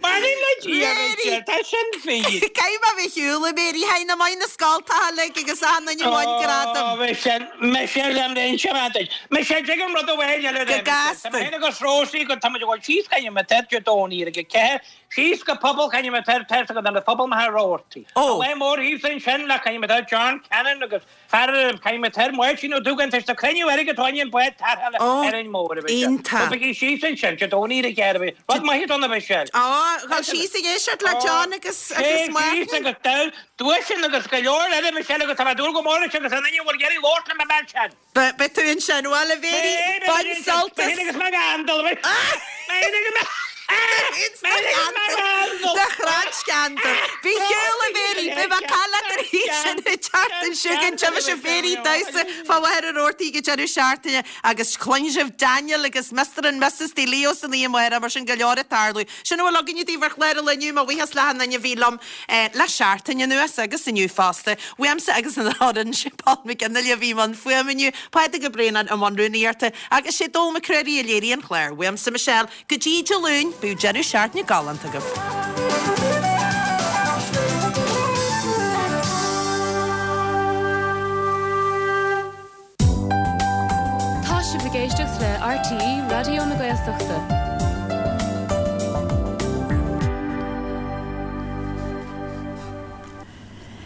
M'anam le Dia a Mhichelle tá sin fíor. Caithfidh mé a bheith shiúl a Mhéirí thaidhg na maith na scoltacha uilig agus achan duine a bhain gradam. Ó Michelle Michelle am inse mé duit. Michelle tuig an rud amháin eile Go de Michelle. Tá gasta. mé féin agus Rósaí go tá muid ag dul síos Caithfidh mé tar Dé Domhnaigh ar ag a ceathair síos go pobal Caithfidh mé tar tar go na phobal maith Roarty. Ó. Lá mór thíos ansin le Caithfidh mé tar John Cannon agus fear Caithfidh mé tar Máirtín Ó Dúgáin tar éis cruinniú airgid atá an bád tarrthála Ó, ar an mór a Michelle. iontach. So bígí síos ansin Dé Domhnaigh ar a ceathair a bhí. Rud maith don a Michelle. Ó, dhul síos ag éisteacht le John agus agus Sé síos Máirtín. agus dul duaiseanna agus go leor eile Michelle agus tá mé ag dúil go mór leis agus an duine a bhfuil iarraidh labhairt le mé mbeidh sin. Be beidh tú ansin bhuel a Mhéirí Beidh bain beidh sult beidh as. agus mé gan dul beidh beidh agus mé Ins na ceantar de chrann sceantar. Bí shiúl a Mhéirí, beidh mé cailleach ar thí sin ag teacht an siúgan tiubhas sibh Mhéirí damhsa fá Mhachaire Rabhartaigh ag deireadh seachtaine agus cluinfidh sibh Daniel agus Mister and Missus Di Leo san oíche amárach mar sin go leor ag tarlú. Sin a bhfuil againne daoibh ar chlár an lae inniu, mo bhuíochas le achan duine a bhí liom le seachtain anuas agus inniu fosta. Uaimse agus an fhoireann, sé Paul McGinley a bhí i mbun fuaime inniu, Pádraig Ó Braonáin i mbun rúnaíochta agus sé Dónall Mac Craoraí a léirigh an clár. Uaimse Michelle, go dtí Dé Luain, bíodh deireadh seachtaine galánta agaibh. Tá sibh ag éisteacht le RTÉ Raidió na Gaeltachta.